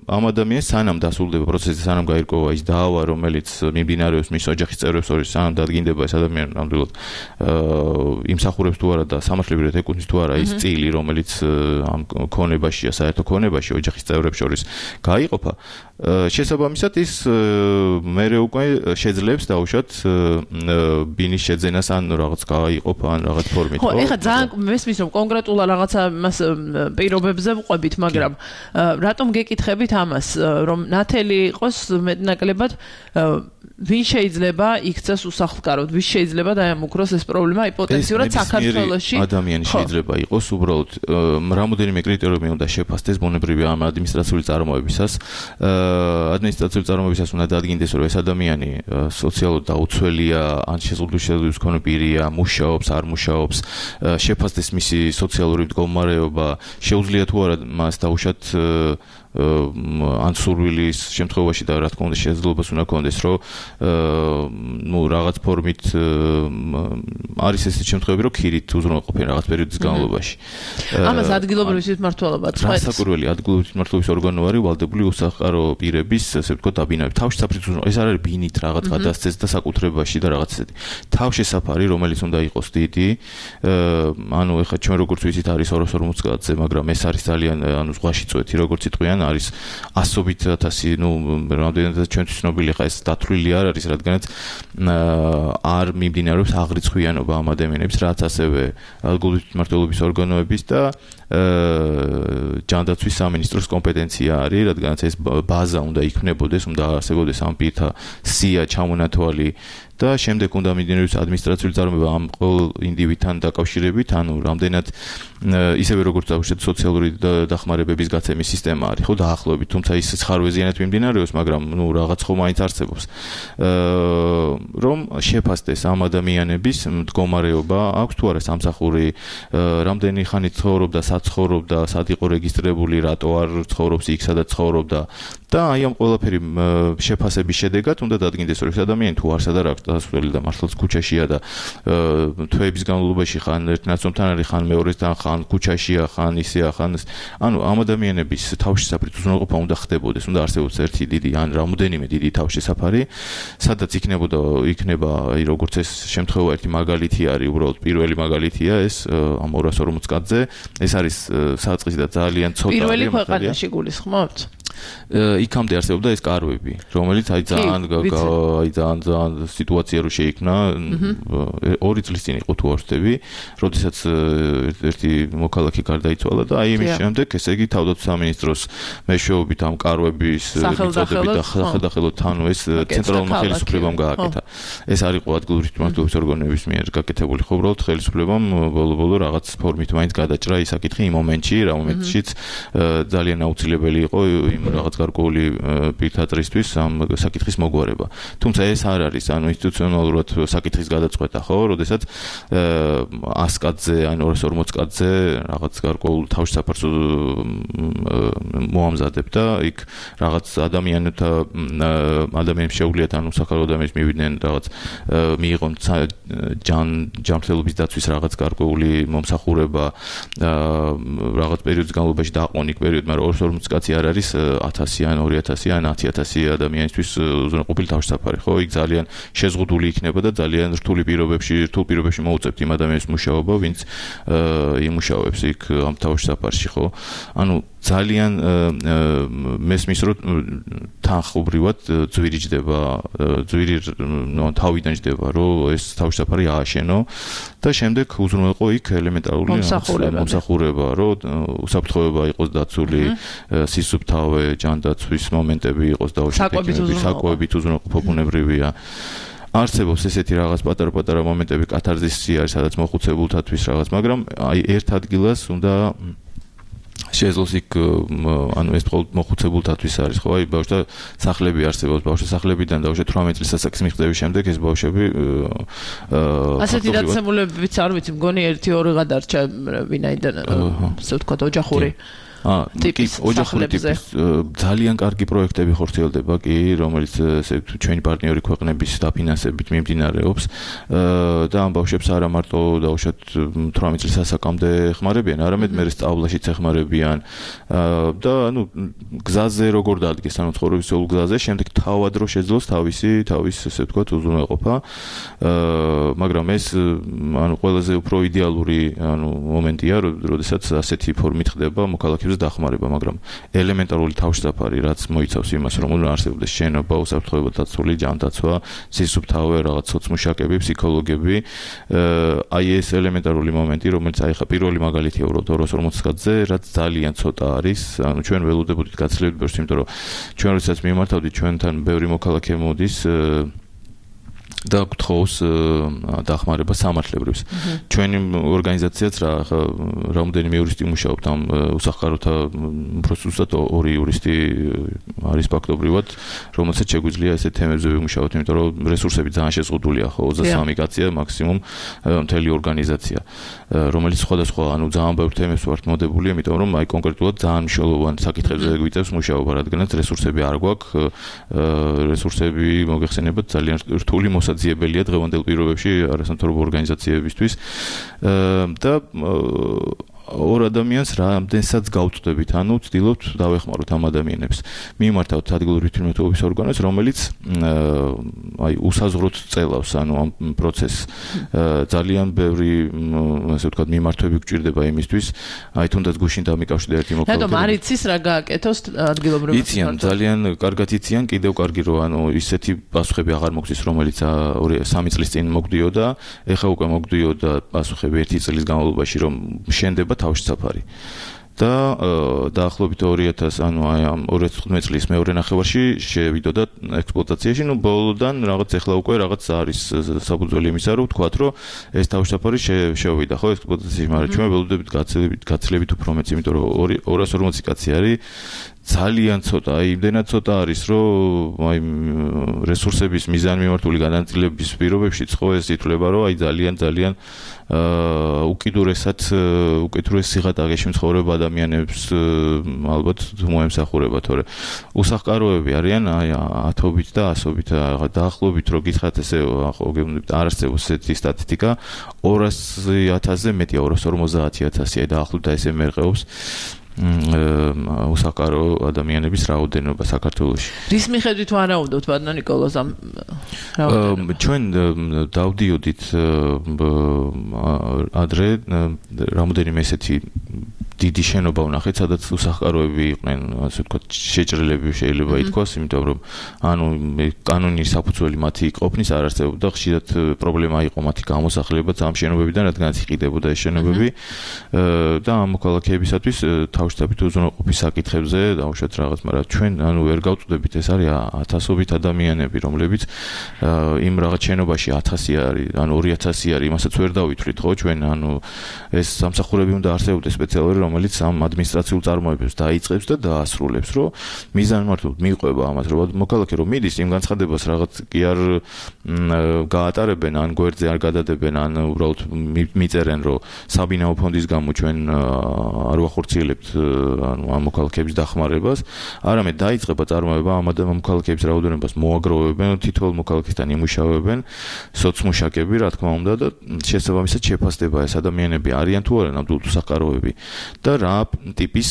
ამ ადამიანს სანამ დასრულდება პროცესი, სანამ გაირკვევა ის დაავა, რომელიც მიმდინარეობს მის ოჯახის წევრებს შორის, სანამ დადგინდება ეს ადამიანი ნამდვილად იმსახურებს თუ არა და სამართლებრივად ეკუთვნის თუ არა ის წილი, რომელიც ამ ქონებაშია, საერთო ქონებაში ოჯახის წევრებს შორის გაიყოფა, შესაბამისად ის მერე უკვე შეძლებს დაუშვათ ბინის შეძენას ან რაღაც გაიყოფა ან რაღაც ფორმით. ხო, ეხლა ძალიან მესმის რომ კონკრეტულად რაღაცა მას პირობებზე ვყვებით, მაგრამ რატომ გეკითხებით ამას, რომ ნათელი იყოს მეტნაკლებად ვინ შეიძლება იქცეს უსახლკაროდ, ვის შეიძლება დაემუქროს ეს პრობლემა იპოთეზურად საქართველოში? ადამიანი შეიძლება იყოს უბრალოდ რამოდენიმე კრიტერიუმი უნდა შეფასდეს ბუნებრივია ამ ადმინისტრაციული წარმოებისას. ადმინისტრაციული წარმოებისას უნდა დადგინდეს, რომ ეს ადამიანი სოციალურად დაუცველია, ან შეზღუდვის მქონე პირია, მუშაობს, არ მუშაობს, შეფასდეს მისი სოციალური მდგომარეობა, შეუძლია თუ არა მას დაუშვათ ან სურვილის შემთხვევაში და რა თქმა უნდა შესაძლებლობას უნდა ქონდეს, რომ ნუ რაღაც ფორმით არის ესეთი შემთხვევები, რომ ქირით უზრუნველყოფენ რაღაც პერიოდის განმავლობაში. ამას ადგილობრივი თვითმმართველობა წყვეტს. განსაკუთრებული ადგილობრივი თვითმმართველობის ორგანო არის ვალდებული უსახლკარო პირების, ასე ვთქვათ, დაბინავი. თავშესაფრით ეს არ არის ბინით რაღაც გადასცეს და საკუთრებაში და რაღაც ესეთი. თავშესაფარი, რომელიც უნდა იყოს დიდი, ანუ ეხლა ჩვენ როგორც ვიცით არის ორას ორმოც კაცზე, მაგრამ ეს არის ძალიან ანუ ზღვაში წვეთი, როგორც იტყვიან არის ასობით ათასი, ნუ რამდენადაც ჩვენთვის ცნობილი ხა ეს დათვლილი არ არის, რადგანაც არ მიმდინარეობს აღრიცხვიანობა ამ ადამიანების, რაც ასევე ადგილობრივი თვითმმართველობის ორგანოების და ჯანდაცვის სამინისტროს კომპეტენცია არის, რადგანაც ეს ბაზა უნდა იქმნებოდეს, უნდა არსებობდეს ამ პირთა სია, ჩამონათვალი და შემდეგ უნდა მიმდინარეობს ადმინისტრაციული წარმოება ამ ყოველ ინდივიდთან დაკავშირებით, ანუ რამდენად ისევე როგორც დავუშვათ სოციალური დახმარებების გაცემის სისტემა არის, ხო, დაახლოებით, თუმცა ის ხარვეზიანად მიმდინარეობს, მაგრამ ნუ რაღაც ხომ მაინც არსებობს. რომ შეფასდეს ამ ადამიანების მდგომარეობა, აქვს თუ არა სამსახური, რამდენი ხანი ცხოვრობდა, სად ცხოვრობდა, სად იყო რეგისტრირებული, რატო არ ცხოვრობს იქ, სადაც ცხოვრობდა და აი ამ ყველაფერი შეფასების შედეგად უნდა დადგინდეს, რომ ეს ადამიანი თუ არსად არ აქვს დასასვლელი და მართლაც ქუჩაშია და თვეების განმავლობაში ხან ერთ ნაცნობთან არის, ხან მეორესთან, ხან ქუჩაშია, ხან ისეა, ხან ანუ ამ ადამიანების თავშესაფრით უზრუნველყოფა უნდა ხდებოდეს, უნდა არსებობდეს ერთი დიდი ან რამოდენიმე დიდი თავშესაფარი, სადაც იქნებოდა იქნება აი როგორც ეს შემთხვევა ერთი მაგალითი არის, უბრალოდ პირველი მაგალითია ეს ამ ორას ორმოც კაცზე, ეს არის საწყისი და ძალიან ცოტა არის. პირველი ქვეყანაში გულისხმობთ? იქამდე არსებობდა ეს კარვები, რომელიც აი ძალიან აი ძალიან ძალიან სიტუაცია რო შეიქმნა, ორი წლის წინ იყო თუ არ ვთქვი, როდესაც ერთი მოქალაქე გარდაიცვალა და აი იმის შემდეგ, ესე იგი თავდაცვის სამინისტროს მეშვეობით ამ კარვების მიწოდებით და სახელდახელოდ თანო ეს ცენტრალურმა ხელისუფლებამ გააკეთა. ეს არ იყო ადგილობრივი თვითმმართველობის ორგანოების მიერ გაკეთებული, ხო, უბრალოდ ხელისუფლებამ ბოლო-ბოლო რაღაც ფორმით მაინც გადაჭრა ის საკითხი იმ მომენტში, რა მომენტშიც ძალიან აუცილებელი იყო იმ რაღაც გარკვეული პირთატრისთვის ამ საკითხის მოგვარება. თუმცა ეს არ არის, ანუ ინსტიტუციონალურად საკითხის გადაწყვეტა, ხო, როდესაც ას კაცზე, ან ორას ორმოც კაცზე რაღაც გარკვეულ თავშესაფარს მოამზადებ და იქ რაღაც ადამიანთა ადამიანებს შეუძლიათ ან უსახლკარო ადამიანებს მივიდნენ რაღაც მიიღონ ჯანმრთელობის დაცვის რაღაც გარკვეული მომსახურება რაღაც პერიოდის განმავლობაში დაყონ იქ პერიოდი, მაგრამ ორას ორმოც კაცი არ არის ათასი ან ორი ათასი ან ათი ათასი ადამიანისთვის უზრუნველყოფილი თავშესაფარი, ხო, იქ ძალიან შეზღუდული იქნება და ძალიან რთული პირობებში, რთულ პირობებში მოუწევთ იმ ადამიანის მუშაობა, ვინც იმუშავებს იქ ამ თავშესაფარში, ხო. ანუ ძალიან მესმის რომ თანხობრივად ძვირი ჯდება, ძვირი თავიდან ჯდება, რომ ეს თავშესაფარი ააშენო და შემდეგ უზრუნველყო იქ ელემენტარული მომსახურება, რომ უსაფრთხოება იყოს დაცული, სისუფთავე, ჯანდაცვის მომენტები იყოს დაუშვებები, საკვებით უზრუნველყოფა ბუნებრივია. არსებობს ესეთი რაღაც პატარ-პატარა მომენტები, კათარზისი არის, სადაც მოხუცებულთათვის რაღაც, მაგრამ აი ერთ ადგილას უნდა შეძლოს იქ ანუ ეს მხოლოდ მოხუცებულთათვის არის, ხო? აი ბავშვთა სახლები არსებობს, ბავშვთა სახლებიდან დაუშვათ თვრამეტ წლის ასაკის მიღწევის შემდეგ ეს ბავშვები აა ასეთი დაცემულებიც არ ვიცი, მგონი ერთი ორი გადარჩა ვინაიდან ასე ვთქვათ ოჯახური აა ტიპის ოჯახური ტიპის ძალიან კარგი პროექტები ხორციელდება კი, რომელიც ჩვენი პარტნიორი ქვეყნების დაფინანსებით მიმდინარეობს და ამ ბავშვებს არა მარტო დაუშვათ თვრამეტ წლის ასაკამდე ეხმარებიან, არამედ მე სწავლაშიც ეხმარებიან და ანუ გზაზე როგორ დადგეს, ანუ ცხოვრებისეულ გზაზე, შემდეგ თავად რო შეძლოს თავისი თავის ესე ვთქვათ უზრუნველყოფა, მაგრამ ეს ანუ ყველაზე უფრო იდეალური ანუ მომენტია, როდესაც ასეთი ფორმით ხდება მოქალაქეების დახმარება, მაგრამ ელემენტარული თავშესაფარი, რაც მოიცავს იმას, რომ უნდა არსებობდეს შენობა, უსაფრთხოება დაცული, ჯანდაცვა, სისუფთავე, რაღაც სოციმუშაკები, ფსიქოლოგები, აი ეს ელემენტარული მომენტი, რომელიც აი ხა პირველი მაგალითია უბრალოდ ორას ორმოცდაათი წელზე, რაც ძალიან ცოტა არის, ანუ ჩვენ ველოდებოდით გაცილებით ბევრს, იმიტომ რომ ჩვენ როდესაც მიმართავდით ჩვენთან ბევრი მოქალაქე მოდის და გთხოვს დახმარება სამართლებრივს. ჩვენი ორგანიზაციაც რა რამოდენიმე იურისტი მუშაობთ ამ უსახკაროთა უფრო ზუსტად ორი იურისტი არის ფაქტობრივად, რომელსაც შეგვიძლია ესეთ თემებზე ვიმუშაოთ, იმიტომ რომ რესურსები ძალიან შეზღუდულია, ხო, ოცდასამი კაცია მაქსიმუმ მთელი ორგანიზაცია, რომელიც სხვადასხვა, ანუ ძალიან ბევრ თემებს ვართ მოდებული, იმიტომ რომ აი კონკრეტულად ძალიან მნიშვნელოვანი საკითხებზე გვიწევს მუშაობა, რადგანაც რესურსები არ გვაქვს, რესურსები მოგეხსენებათ ძალიან რთული მოსაძიებელია დღევანდელ პირობებში არასამთავრობო ორგანიზაციებისთვის და ორ ადამიანს რამდენსაც გავწვდებით, ანუ ვცდილობთ დავეხმაროთ ამ ადამიანებს. მიმართავთ ადგილური თვითმმართველობის ორგანოს, რომელიც აი უსაზღვროდ წელავს, ანუ ამ პროცესს ძალიან ბევრი, ასე ვთქვათ, მიმართვები გვჭირდება იმისთვის, აი თუნდაც გუშინ დამიკავშირდა ერთი მოქალაქე. რატომ არ იცის რა გააკეთოს ადგილობრივ იციან, ძალიან კარგად იციან, კიდევ კარგი რო ანუ ისეთი პასუხები აღარ მოგცის, რომელიც სამი წლის წინ მოგდიოდა, ეხა უკვე მოგდიოდა პასუხები ერთი წლის განმავლობაში, რომ შენდება თავშესაფარი. და დაახლოებით ორი ათას ანუ აი ამ ორი ათას თხუთმეტი წლის მეორე ნახევარში შევიდოდა ექსპლუატაციაში, ну ბოლოდან რაღაც ეხლა უკვე რაღაც არის საფუძველი იმისა, რომ ვთქვათ, რომ ეს თავშესაფარი შევიდა, ხო, ექსპლუატაციაში, მაგრამ ჩვენ ველოდებით გაცილებით გაცილებით უფრო მეც, იმიტომ რომ ორას ორმოცი კაცი არის ძალიან ცოტა, აი იმდენად ცოტა არის, რომ აი რესურსების მიზანმიმართული განაწილების პირობებშიც ხო ეს ითვლება, რომ აი ძალიან ძალიან აა უკიდურესად უკიდურეს სიღატაკეში მცხოვრებ ადამიანებს ალბათ მოემსახურება, თორე უსახკაროები არიან აი ათობით და ასობით დაახლოებით რო გითხრათ ესე ხო გეუბნებით არ არსებობს ესეთი სტატისტიკა ორასი ათასზე მეტია ორას ორმოცდაათი ათასია დაახლოებით ესე მერყეობს უსახკარო ადამიანების რაოდენობა საქართველოში. რის მიხედვით ვარაუდობთ ბატონო ნიკოლოზ ამ რაოდენობა? ჩვენ დავდიოდით ადრე რამოდენიმე ესეთი დიდი შენობა ვნახეთ, სადაც უსახკაროები იყვნენ, ასე ვთქვათ, შეჭრილები შეიძლება ითქვას, იმიტომ რომ ანუ კანონის საფუძველი მათი ყოფნის არ არსებობდა, ხშირად პრობლემა იყო მათი გამოსახულება ამ შენობებიდან, რადგანაც იყიდებოდა ეს შენობები და ამ მოქალაქეებისათვის თავშესაფრით უზრუნველყოფის საკითხებზე დაუშვათ რაღაც, მაგრამ ჩვენ ანუ ვერ გავწვდებით, ეს არის ათასობით ადამიანები, რომლებიც იმ რაღაც შენობაში ათასი არის, ანუ ორი ათასი არის, იმასაც ვერ დავითვლით, ხო, ჩვენ ანუ ეს სამსახურები უნდა არსებობდეს სპეციალური, რომელიც ამ ადმინისტრაციულ წარმოებებს დაიწყებს და დაასრულებს, რომ მიზანმიმართულად მიყვება ამას, რომ მოქალაქე რომ მიდის იმ განცხადებას რაღაც კი არ გაატარებენ, ან გვერდზე არ გადადებენ, ან უბრალოდ მიწერენ, რომ საბინაო ფონდის გამო ჩვენ არ ვახორციელებთ ანუ ამ მოქალაქეების დახმარებას, არამედ დაიწყება წარმოება ამ მოქალაქეების რაოდენობას მოაგროვებენ, თითოეულ მოქალაქესთან იმუშავებენ სოციმუშაკები, რა თქმა უნდა და შესაბამისად შეფასდება ეს ადამიანები არიან თუ არა ნამდვილად უსახკაროები და რა ტიპის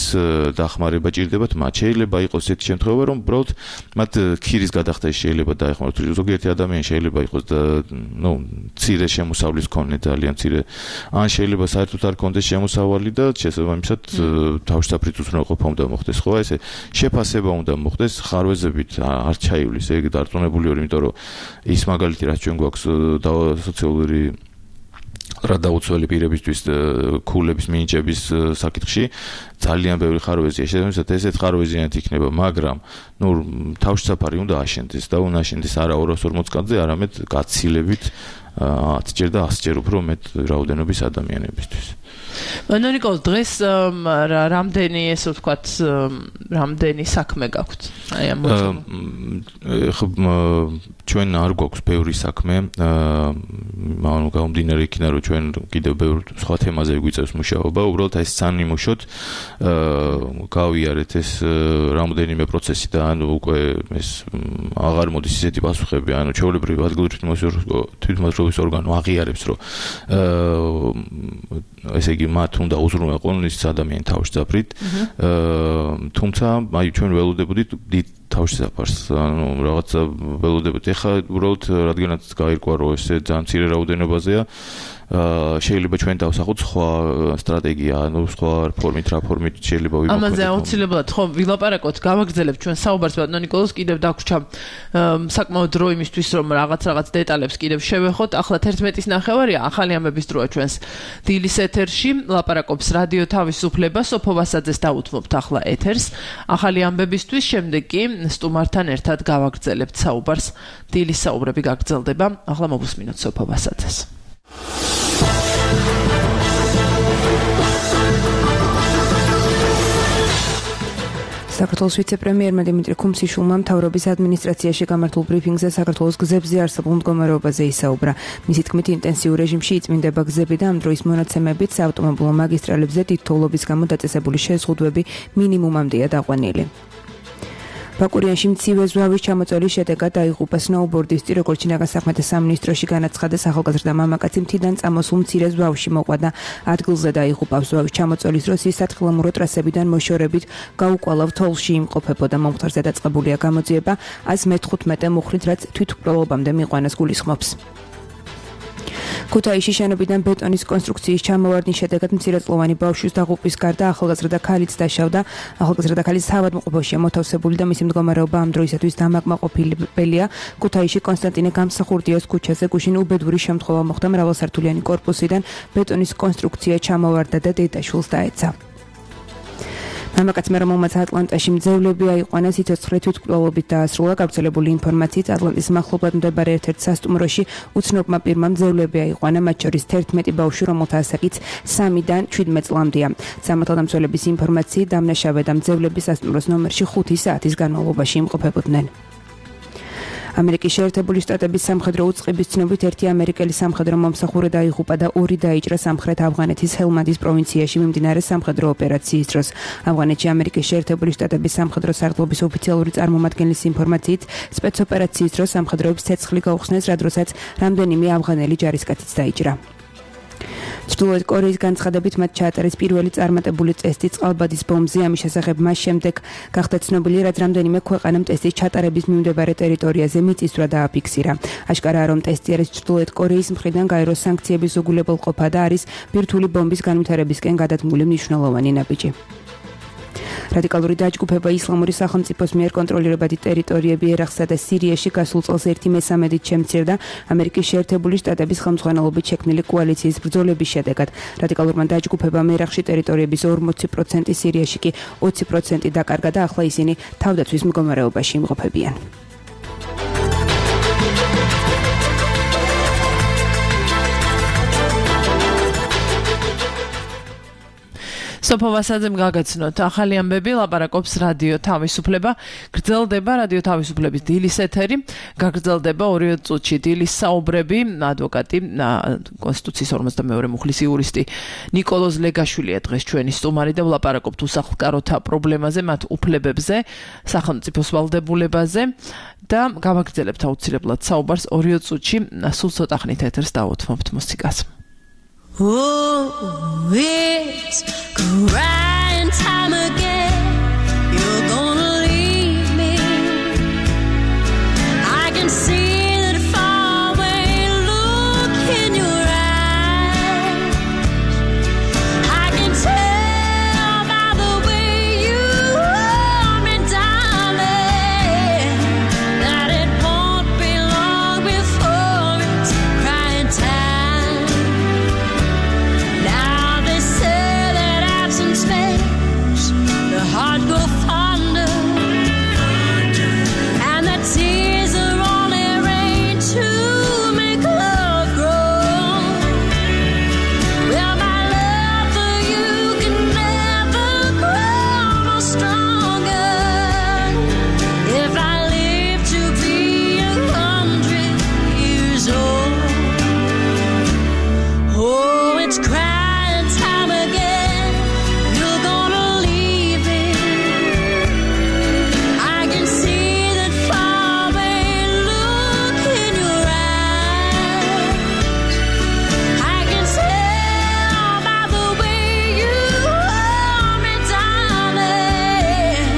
დახმარება ჭირდებათ მათ. შეიძლება იყოს ესეთი შემთხვევა, რომ უბრალოდ მათ ქირის გადახდაში შეიძლება დაეხმაროთ. ზოგიერთი ადამიანი შეიძლება იყოს და ნუ მცირე შემოსავლის მქონე, ძალიან მცირე, ან შეიძლება საერთოდ არ ქონდეს შემოსავალი და შესაბამისად თავშესაფრით უზრუნველყოფა უნდა მოხდეს. ხო, ესე შეფასება უნდა მოხდეს, ხარვეზებით არ ჩაივლის ეგ დარწმუნებული ვარ, იმიტომ რომ ის მაგალითი რაც ჩვენ გვაქვს სოციალური რა დაუცველი პირებისთვის ქულების მინიჭების საკითხში ძალიან ბევრი ხარვეზია. შესაბამისად ესეთ ხარვეზიანად იქნება, მაგრამ ნუ თავშესაფარი უნდა აშენდეს და უნდა აშენდეს არა ორას ორმოც კაცზე, არამედ გაცილებით ათი ჯერ და ასი ჯერ უფრო მეტ რაოდენობის ადამიანებისთვის. ანუ ნიკოლ, დღეს რამდენი ესე ვთქვათ, რამდენი საქმე გაქვთ? აი ამ ჩვენ არ გვაქვს ბევრი საქმე, ანუ გამომდინარე იქიდან, რომ ჩვენ კიდევ ბევრ სხვა თემაზე გვიწევს მუშაობა, უბრალოდ ეს სანიმუშოდ გავიარეთ ეს რამდენიმე პროცესი და ანუ უკვე ეს აღარ მოდის ისეთი პასუხები, ანუ ჩვეულებრივი ადგილობრივი თვითმმართველობის ორგანო აღიარებს, რომ ესე იგი მათ უნდა უზრუნველყონ ის ადამიანი თავშესაფრით, თუმცა აი ჩვენ ველოდებოდით დიდ თავშესაფარს, ანუ რაღაცა ველოდებოდით. ეხლა უბრალოდ რადგანაც გაირკვა, რომ ესე ძალიან მცირე რაოდენობაზეა, შეიძლება ჩვენ დავსახოთ სხვა სტრატეგია, ანუ სხვა ფორმით, რა ფორმით შეიძლება ვიმოქმედოთ. ამაზე აუცილებლად ხო ვილაპარაკოთ, გავაგრძელებთ ჩვენ საუბარს, ბატონო ნიკოლოს, კიდევ დაგვრჩა საკმაოდ დრო იმისთვის, რომ რაღაც რაღაც დეტალებს კიდევ შევეხოთ. ახლა თერთმეტის ნახევარია, ახალი ამბების დროა ჩვენს დილის ეთერში, ლაპარაკობს რადიო თავისუფლება, სოფო ვასაძეს დაუთმობთ ახლა ეთერს. ახალი ამბებისთვის შემდეგ კი სტუმართან ერთად გავაგრძელებთ საუბარს. დილის საუბრები გაგრძელდება. ახლა მოვუსმინოთ სოფო ვასაძეს. საქართველოს ვიცე-პრემიერმა დიმიტრი ქუმსიშვილმა მთავრობის ადმინისტრაციაში გამართულ ბრიფინგზე საქართველოს გზებზე არსებულ მდგომარეობაზე ისაუბრა. მისი თქმით, ინტენსიურ რეჟიმში იწმინდება გზები და ამ დროის მონაცემებით საავტომობილო მაგისტრალებზე დიდ თოვლობის გამო დაწესებული შეზღუდვები მინიმუმამდეა დაყვანილი. ბაკურიანში მცირე ზვავის ჩამოწვევის შედეგად დაიღუპა სნოუბორდისტი, როგორც ჩინაგან საქმეთა სამინისტროში განაცხადეს, ახალგაზრდა მამაკაცი მთიდან წამოსულ მცირე ზვავში მოყვანა. ადგილზე დაიღუპა. ზვავის ჩამოწვევის დროს ის სათხილამურო ტრასებიდან მოშორებით გაუკვალავ თოვლში იმყოფებოდა. მომხდარზე დაწყებულია გამოძიება ას მეთხუთმეტე მუხრით, რაც თვითმკვლელობამდე მიყვანას გულისხმობს. ქუთაისში შენობიდან ბეტონის კონსტრუქციის ჩამოვარდნის შედეგად მცირეწლოვანი ბავშვის დაღუპვის გარდა ახალგაზრდა ქალიც დაშავდა. ახალგაზრდა ქალის საავადმყოფოში მოთავსებული და მისი მდგომარეობა ამ დროისათვის დამაკმაყოფილებელია. ქუთაისში კონსტანტინე გამსახურდიას ქუჩაზე გუშინ უბედური შემთხვევა მოხდა. მრავალსართულიანი კორპუსიდან ბეტონის კონსტრუქცია ჩამოვარდა და დედაშვილს დაეცა. მამაკაცმა, რომელმაც ატლანტაში მძევლები აიყვანა, სიცოცხლე თვითმკვლელობით დაასრულა. გავრცელებული ინფორმაციით, ატლანტის მახლობლად მდებარე ერთ-ერთ სასტუმროში უცნობმა პირმა მძევლები აიყვანა, მათ შორის თერთმეტი ბავშვი, რომელთა ასაკიც სამიდან შვიდმეტ წლამდეა. სამართალდამცველების ინფორმაციით, დამნაშავე და მძევლები სასტუმროს ნომერში ხუთი საათის განმავლობაში იმყოფებოდნენ. ამერიკის შეერთებული შტატების სამხედრო უწყების ცნობით ერთი ამერიკელი სამხედრო მომსახურე დაიღუპა და ორი დაიჭრა სამხრეთ ავღანეთის ჰელმანდის პროვინციაში მიმდინარე სამხედრო ოპერაციის დროს. ავღანეთში ამერიკის შეერთებული შტატების სამხედრო სარდლობის ოფიციალური წარმომადგენლის ინფორმაციით, სპეცოპერაციის დროს სამხედროებს ცეცხლი გაუხსნეს, რა დროსაც რამდენიმე ავღანელი ჯარისკაციც დაიჭრა. ჩრდილოეთ კორეის განცხადებით მათ ჩაატარეს პირველი წარმატებული ტესტი წყალბადის ბომბზე. ამის შესახებ მას შემდეგ გახდა ცნობილი, რაც რამდენიმე ქვეყანამ ტესტის ჩატარების მიმდებარე ტერიტორიაზე მიწისძვრა დააფიქსირა. აშკარაა, რომ ტესტი არის ჩრდილოეთ კორეის მხრიდან გაეროს სანქციების უგულებელყოფა და არის ბირთვული ბომბის განვითარებისკენ გადადგმული მნიშვნელოვანი ნაბიჯი. რადიკალური დაჯგუფება ისლამური სახელმწიფოს მიერ კონტროლირებადი ტერიტორიები ერაყსა და სირიაში გასულ წელს ერთი მესამედით შემცირდა ამერიკის შეერთებული შტატების ხელმძღვანელობით შექმნილი კოალიციის ბრძოლების შედეგად. რადიკალურმა დაჯგუფებამ ერაყში ტერიტორიების ორმოცი პროცენტი, სირიაში კი ოცი პროცენტი დაკარგა და ახლა ისინი თავდაცვის მდგომარეობაში იმყოფებიან. სოფო ვასაძემ გაგაცნოთ ახალი ამბები, ლაპარაკობს რადიო თავისუფლება. გრძელდება რადიო თავისუფლების დილის ეთერი, გაგრძელდება ორი წუთში დილის საუბრები. ადვოკატი, კონსტიტუციის ორმოცდამეორე მუხლის იურისტი ნიკოლოზ ლეგაშვილია დღეს ჩვენი სტუმარი და ვლაპარაკობთ უსახლკაროთა პრობლემაზე, მათ უფლებებზე, სახელმწიფოს ვალდებულებაზე და გავაგრძელებთ აუცილებლად საუბარს ორი წუთში. სულ ცოტა ხნით ეთერს დავუთმობთ მუსიკას. Oh, it's great. time again you're gonna leave me. I can see that faraway look in your eyes. I can tell by the way you hold me, darling, that it won't be long before it's crying time. Now they say that absence makes the heart grow fonder, and that tears are only rain to make love grow. Well, my love for you can never grow no stronger if I live to be a hundred years old. Oh, it's crying time again. You're gonna leave me. I can see that faraway look in your eyes. I can tell by the way you hold me, darling,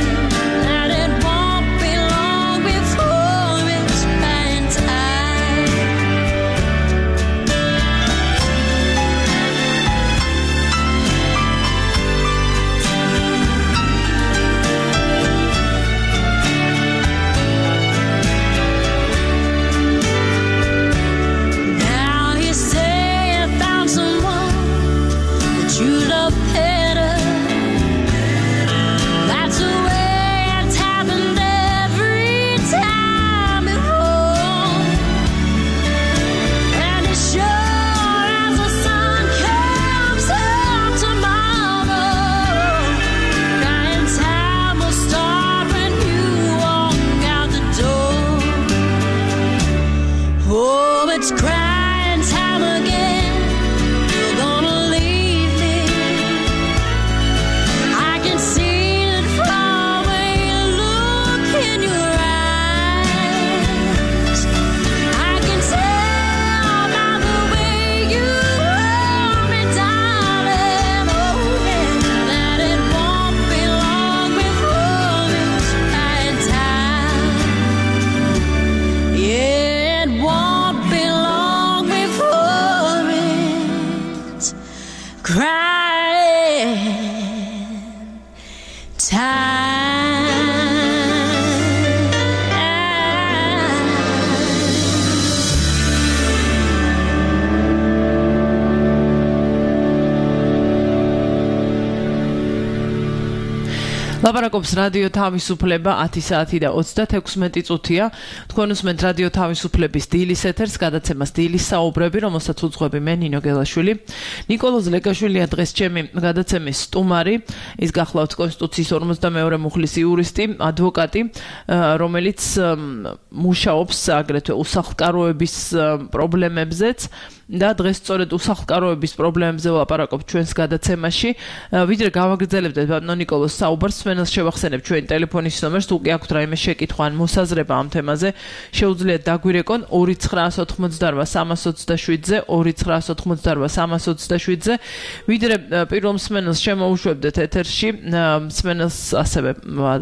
that it won't be long before it's crying time. Now you say you found someone that you love better. That's the way it's happened every time before. And as sure as the sun comes up tomorrow, crying time will start when you walk out the door. Oh, it's crying time again. You're gonna leave me. I can see that faraway look in your eyes. I can tell by the way you hold me, darling, oh yeah, that it won't be long before it's crying time. Yeah, it won't be long before it's crying time. ლაპარაკობს რადიო თავისუფლება ათი საათი და ოცდათექვსმეტი წუთია. თქვენ უსმენთ რადიო თავისუფლების დილის ეთერს, გადაცემას დილის საუბრები, რომელსაც უძღვები მე ნინო გელაშვილი. ნიკოლოზ ლეკაშვილია დღეს ჩემი გადაცემის სტუმარი. ის გახლავთ კონსტიტუციის ორმოცდამეორე მუხლის იურისტი, ადვოკატი, რომელიც მუშაობს აგრეთვე უსახლკაროების პრობლემებზეც. და დღეს სწორედ უსახლკაროების პრობლემებზე ვლაპარაკობ ჩვენს გადაცემაში. ვიდრე გავაგრძელებდეთ ბატონო ნიკოლოს საუბარს, სვენელს შევახსენებ ჩვენი ტელეფონის ნომერს, თუ კი აქვთ რაიმე შეკითხვა ან მოსაზრება ამ თემაზე, შეუძლიათ დაგვირეკონ ორი ცხრაას ოთხმოცდარვა სამას ოცდაშვიდზე, ორი ცხრაას ოთხმოცდარვა სამას ოცდაშვიდზე. ვიდრე პირველ მსმენელს შემოუშვებდეთ ეთერში, მსმენელს ასევე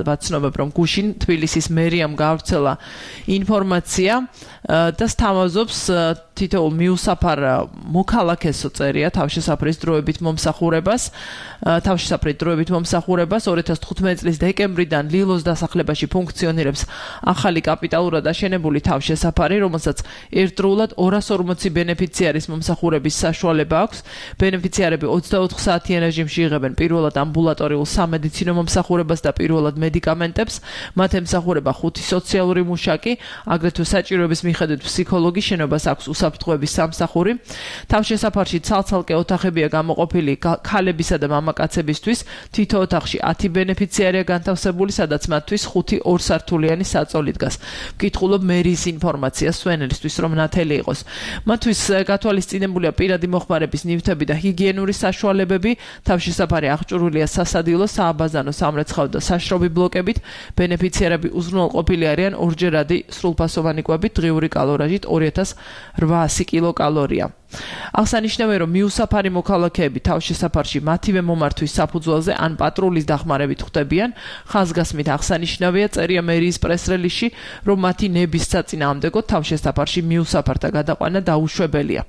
ვაცნობებ, რომ გუშინ თბილისის მერიამ გაავრცელა ინფორმაცია და სთავაზობს თითოეულ მიუსაფარ მოქალაქესო წერია თავშესაფრის დროებით მომსახურებას, თავშესაფრის დროებით მომსახურებას ორი ათას თხუთმეტი წლის დეკემბრიდან ლილოს დასახლებაში ფუნქციონირებს ახალი კაპიტალურად აშენებული თავშესაფარი, რომელსაც ერთდროულად ორას ორმოცი ბენეფიციარის მომსახურების საშუალება აქვს. ბენეფიციარები ოცდაოთხ საათიან რეჟიმში იღებენ პირველად ამბულატორიულ სამედიცინო მომსახურებას და პირველად მედიკამენტებს. მათ ემსახურება ხუთი სოციალური მუშაკი, აგრეთვე საჭიროების მიხედვით ფსიქოლოგი, შენობას აქვს უსაფრთხოების სამსახური. თავშესაფარში ცალ-ცალკე ოთახებია გამოყოფილი ქალებისა და მამაკაცებისთვის. თითო ოთახში ათი ბენეფიციარია განთავსებული, სადაც მათთვის ხუთი ორსართულიანი საწოლი დგას. ვკითხულობ მერის ინფორმაციას სვენელისთვის, რომ ნათელი იყოს. მათთვის გათვალისწინებულია პირადი მოხმარების ნივთები და ჰიგიენური საშუალებები. თავშესაფარი აღჭურვილია სასადილო, სააბაზანო, სამრეცხავ და საშრობი ბლოკებით. ბენეფიციარები უზრუნველყოფილი არიან ორჯერადი სრულფასოვანი კვებით, დღიური კალორაჟით ორი ათას რვა ოთხიასი კილოკალორია. აღსანიშნავია, რომ მიუსაფარი მოქალაქეები თავშესაფარში მათივე მომართვის საფუძველზე ან პატრულის დახმარებით ხვდებიან. ხაზგასმით აღსანიშნავია, წერია მერიის პრეს-რელიზში, რომ მათი ნების საწინააღმდეგოდ თავშესაფარში მიუსაფართა გადაყვანა დაუშვებელია.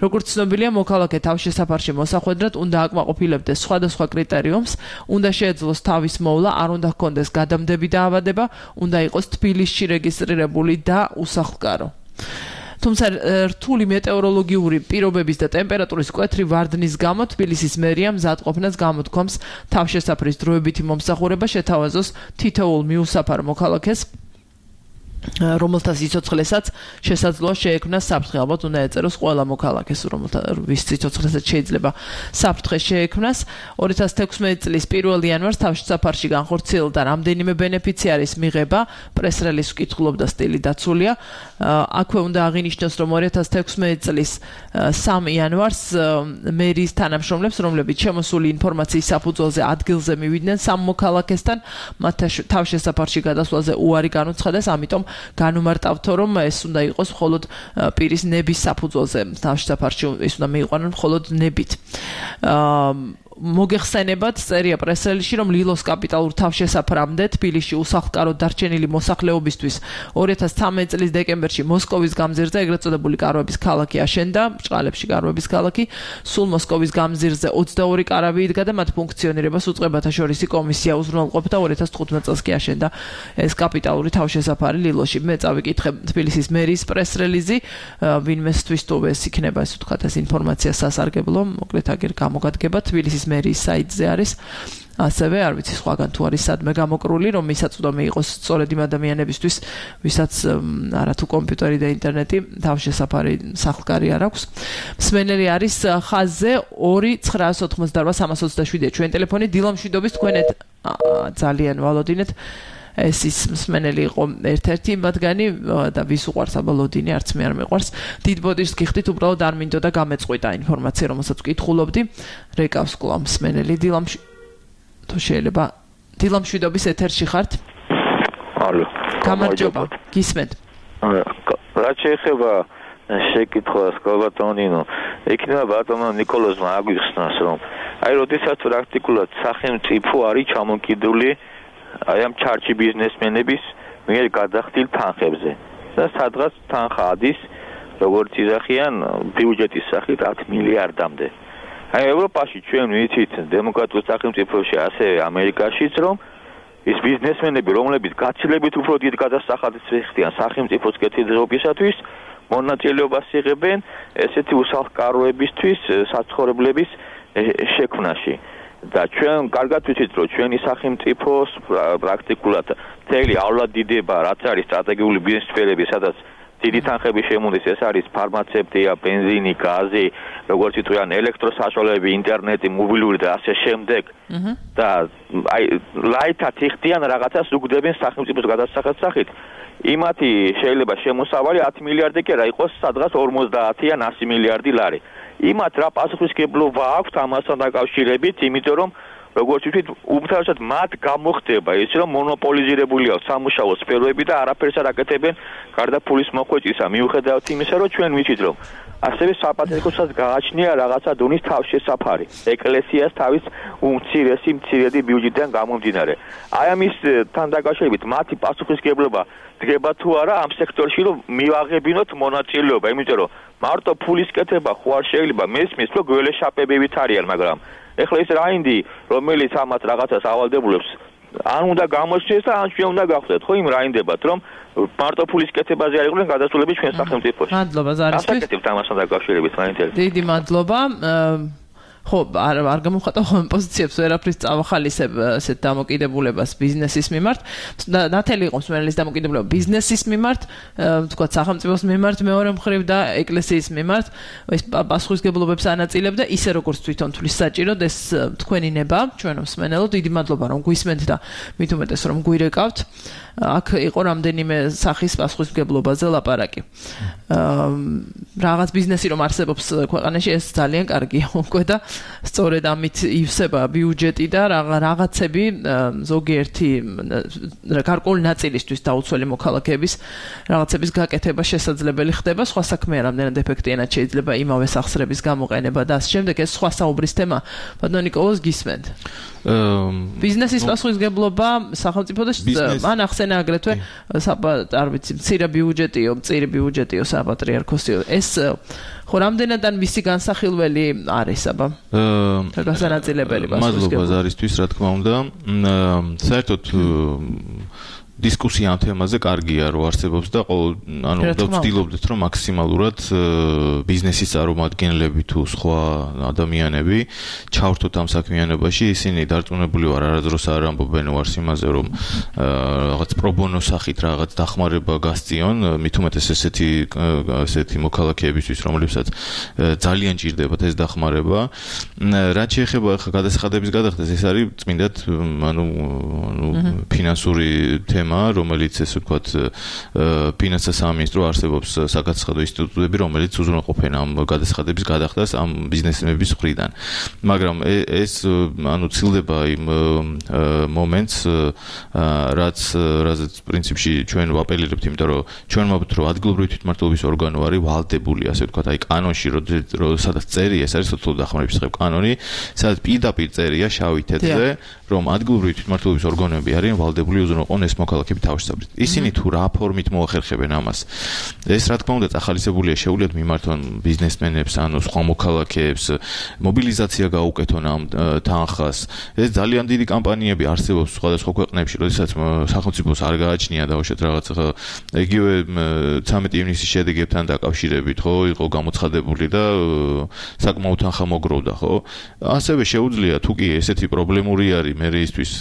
როგორც ცნობილია, მოქალაქე თავშესაფარში მოსახვედრად უნდა აკმაყოფილებდეს სხვადასხვა კრიტერიუმს, უნდა შეეძლოს თავის მოვლა, არ უნდა ჰქონდეს გადამდები დაავადება, უნდა იყოს თბილისში რეგისტრირებული და უსახლკარო. თუმცა რთული მეტეოროლოგიური პირობების და ტემპერატურის მკვეთრი ვარდნის გამო თბილისის მერია მზადყოფნას გამოთქვამს თავშესაფრის დროებითი მომსახურება შეთავაზოს თითოეულ მიუსაფარ მოქალაქეს, რომელთა სიცოცხლესაც შესაძლოა შეექმნას საფრთხე. ალბათ უნდა ეწეროს ყველა მოქალაქეს, რომელთა ვის სიცოცხლესაც შეიძლება საფრთხე შეექმნას. ორი ათას თექვსმეტი წლის პირველი იანვარს თავშესაფარში განხორციელდა რამდენიმე ბენეფიციარის მიღება, პრეს-რელიზს ვკითხულობდა სტილი დაცულია. აქვე უნდა აღინიშნოს, რომ ორი ათას თექვსმეტი წლის სამი იანვარს მერიის თანამშრომლებს, რომლებიც შემოსული ინფორმაციის საფუძველზე ადგილზე მივიდნენ სამ მოქალაქესთან, მათ თავშესაფარში გადასვლაზე უარი განუცხადეს, ამიტომ განუმარტავთო, რომ ეს უნდა იყოს მხოლოდ პირის ნების საფუძველზე, თავშესაფარში ეს უნდა მიიყვანონ მხოლოდ ნებით. მოგეხსენებათ, წერია პრეს-რელიზში, რომ ლილოს კაპიტალურ თავშესაფრამდე თბილისში უსახლკარო დარჩენილი მოსახლეობისთვის ორი ათას ცხრამეტი წლის დეკემბერში მოსკოვის გამზირზე ეგრეთ წოდებული კარვების ქალაქი აშენდა, ბრჭყალებში კარვების ქალაქი, სულ მოსკოვის გამზირზე ოცდაორი კარავი იდგა და მათ ფუნქციონირებას უწყებათა შორისი კომისია უზრუნველყოფდა. ორი ათას თხუთმეტ წელს კი აშენდა ეს კაპიტალური თავშესაფარი ლილოში. მე წავიკითხე თბილისის მერიის პრეს-რელიზი, ვინმესთვის თუ ეს იქნება, ეს ვთქვათ, ეს ინფორმაცია სასარგებლო, მოკლედ აგერ გამოგადგება თბილისის მერიის საიტზე არის. ასევე არ ვიცი სხვაგან თუ არის სადმე გამოკრული, რომ მისაწვდომი იყოს სწორედ იმ ადამიანებისთვის, ვისაც არათუ კომპიუტერი და ინტერნეტი თავშესაფარი სახლკარი არ აქვს. მსმენელი არის ხაზზე ორი ცხრაას ოთხმოცდაორვა სამას ოცდაშვიდია ჩვენი ტელეფონი. დილა მშვიდობის თქვენეთ ძალიან ვალოდინეთ. ეს ის მსმენელი იყო ერთ-ერთი მათგანი და ვის უყვარს აბა ლოდინი, არც მე არ მეყვარს. დიდ ბოდიშს გიხდით, უბრალოდ არ მინდოდა გამეწყვიტა ინფორმაცია, რომელსაც ვკითხულობდი. რეკავს კვლავ მსმენელი დილა თუ შეიძლება დილა მშვიდობის ეთერში ხართ? ალო. გამარჯობა. გისმენთ. რა შეეხება შეკითხვას კალბატონინო, იქნება ბატონო ნიკოლოზმა აგვიხსნას, რომ აი როდესაც პრაქტიკულად სახელმწიფო არის ჩამოკიდული აი ამ ჩარჩი ბიზნესმენების მიერ გადახდილ თანხებზე და სადღაც თანხა ადის, როგორც იზახიან, ბიუჯეტის სახით ათი მილიარდამდე. აი ევროპაში ჩვენ ვიცით დემოკრატიულ სახელმწიფოში, ასევე ამერიკაშიც, რომ ის ბიზნესმენები, რომლებიც გაცილებით უფრო დიდ გადასახადს ეხდიან სახელმწიფოს კეთილდღეობისათვის, მონაწილეობას იღებენ ესეთი უსახლკაროებისთვის საცხოვრებლების შექმნაში. და ჩვენ კარგად ვიცით, რომ ჩვენი სახელმწიფოს პრაქტიკულად მთელი ავლადიდება, რაც არის სტრატეგიული ბიზნეს სფერები, სადაც დიდი თანხები შემოდის, ეს არის ფარმაცევტია, ბენზინი, გაზი, როგორც იტყვიან, ელექტროსაშუალებები, ინტერნეტი, მობილური და ასე შემდეგ. და აი ლაითად იხდიან რაღაცას უგდებენ სახელმწიფოს გადასახადს სახით. იმათი შეიძლება შემოსავალი ათი მილიარდი კი არა იყოს, სადღაც ორმოცდაათი ან ასი მილიარდი ლარი. იმათ რა პასუხისმგებლობა აქვთ ამასთან დაკავშირებით, იმიტომ რომ როგორც ვთქვით, უმთავრესად მათ გამოხდება ის, რომ მონოპოლიზირებული აქვს სამუშაო სფეროები და არაფერს არ აკეთებენ გარდა ფულის მოხვეჭისა. მიუხედავად იმისა, რომ ჩვენ ვიცით, რომ ასევე საპატრიარქოსაც გააჩნია რაღაცა დონის თავშესაფარი, ეკლესიას თავის უმცირესი მცირედი ბიუჯეტიდან გამომდინარე. აი ამის თან დაკავშირებით მათი პასუხისმგებლობა დგება თუ არა ამ სექტორში, რომ მივაღებინოთ მონაწილეობა, იმიტომ რომ მარტო ფულის კეთება ხო არ შეიძლება, მესმის, რომ გველეშაპებივით არიან, მაგრამ ეხლა ის რაინდი, რომელიც ამათ რაღაცას ავალდებულებს, ან უნდა გამოჩნდეს და ან ჩვენ უნდა გავხდეთ, ხო იმ რაინდებათ, რომ მარტო ფულის კეთებაზე არ იყვნენ გადასულები ჩვენ სახელმწიფოში. მადლობა ზარისთვის. ასაკეთებთ ამასთან დაკავშირებით მაინტერესებს. დიდი მადლობა. ხო, არ არ გამოვხატავ ხოლმე პოზიციებს, ვერაფრის წავახალისებ ესეთ დამოკიდებულებას ბიზნესის მიმართ. ნათელი იყო მსმენელის დამოკიდებულება ბიზნესის მიმართ, თქვა სახელმწიფოს მიმართ, მეორე მხრივ და ეკლესიის მიმართ. ეს პასუხისმგებლობებს ანაწილებდა, ისე როგორც თვითონ თulis საჭიროდ ეს თქვენი ნება, ჩვენო მსმენელო, დიდი მადლობა რომ გვისმენთ და მით უმეტეს რომ გვირეკავთ. აქ იყო რამდენიმე სახის პასუხისმგებლობაზე ლაპარაკი. რაღაც ბიზნესი რომ არსებობს ქვეყანაში, ეს ძალიან კარგია უკვე და სწორედ ამით ივსება ბიუჯეტი და რაღაცები ზოგიერთი გარკვეული ნაწილისთვის დაუცველი მოქალაქეების რაღაცების გაკეთება შესაძლებელი ხდება, სხვა საქმეა რამდენად ეფექტიანად შეიძლება იმავე სახსრების გამოყენება და ასე შემდეგ. ეს სხვა საუბრის თემა. ბატონო ნიკოლოზ, გისმენთ? ბიზნესის პასუხისმგებლობა სახელმწიფო და მან ახსენა აგრეთვე არ ვიცი, მცირე ბიუჯეტიო, მწირი ბიუჯეტიო საპატრიარქოსიო. ეს ხო რამდენად ან მისი განსახილველი არის აბა? აა გასანაწილებელი პასუხისმგებლობა. მადლობა ზარისთვის, რა თქმა უნდა. საერთოდ დისკუსია ამ თემაზე კარგია, რომ არსებობს და ყოველ ანუ ვცდილობდით, რომ მაქსიმალურად ბიზნესის წარმომადგენლები თუ სხვა ადამიანები ჩავრთოთ ამ საქმიანობაში. ისინი დარწმუნებული ვარ, არადროს არ ამბობენ ვარს იმაზე, რომ რაღაც პრობონო სახით რაღაც დახმარება გასწიონ, მით უმეტეს ესეთი ესეთი მოქალაქეებისთვის, რომლებსაც ძალიან ჭირდებათ ეს დახმარება. რაც შეეხება ახლა გადასახადების გადახდას, ეს არის წმინდად ანუ ანუ ფინანსური თემა, რომელიც ესე ვთქვათ ფინანსთა სამინისტრო არსებობს საგადასახადო ინსტიტუტები, რომელიც უზრუნველყოფენ ამ გადასახადების გადახდას ამ ბიზნესმენების მხრიდან. მაგრამ ეს ანუ ცილდება იმ მომენტს, რაც რაც პრინციპში ჩვენ ვაპელირებთ, იმიტომ რომ ჩვენ ვამბობთ, რომ ადგილობრივი თვითმმართველობის ორგანო არის ვალდებული, ასე ვთქვათ, აი კანონში, სადაც წერია, ეს არის სოციალური დახმარების დღე კანონი, სადაც პირდაპირ წერია შავი თეთრზე, რომ ადგილობრივი თვითმმართველობის ორგანოები არიან ვალდებული უზრუნველყონ ეს მოქალაქეები თავშესაფრით. ისინი თუ რა ფორმით მოახერხებენ ამას, ეს რა თქმა უნდა წახალისებულია, შეუძლიათ მიმართონ ბიზნესმენებს, ანუ სხვა მოქალაქეებს, მობილიზაცია გაუკეთონ ამ თანხას. ეს ძალიან დიდი კამპანიები არსებობს სხვადასხვა ქვეყნებში, როდესაც სახელმწიფოს არ გააჩნია დაუშვათ რაღაც იგივე ცამეტი ივნისის შედეგებთან დაკავშირებით, ხო, იყო გამოცხადებული და საკმაოდ თანხა მოგროვდა, ხო? ასევე შეუძლია თუ კი ესეთი პრობლემური არის მერეისთვის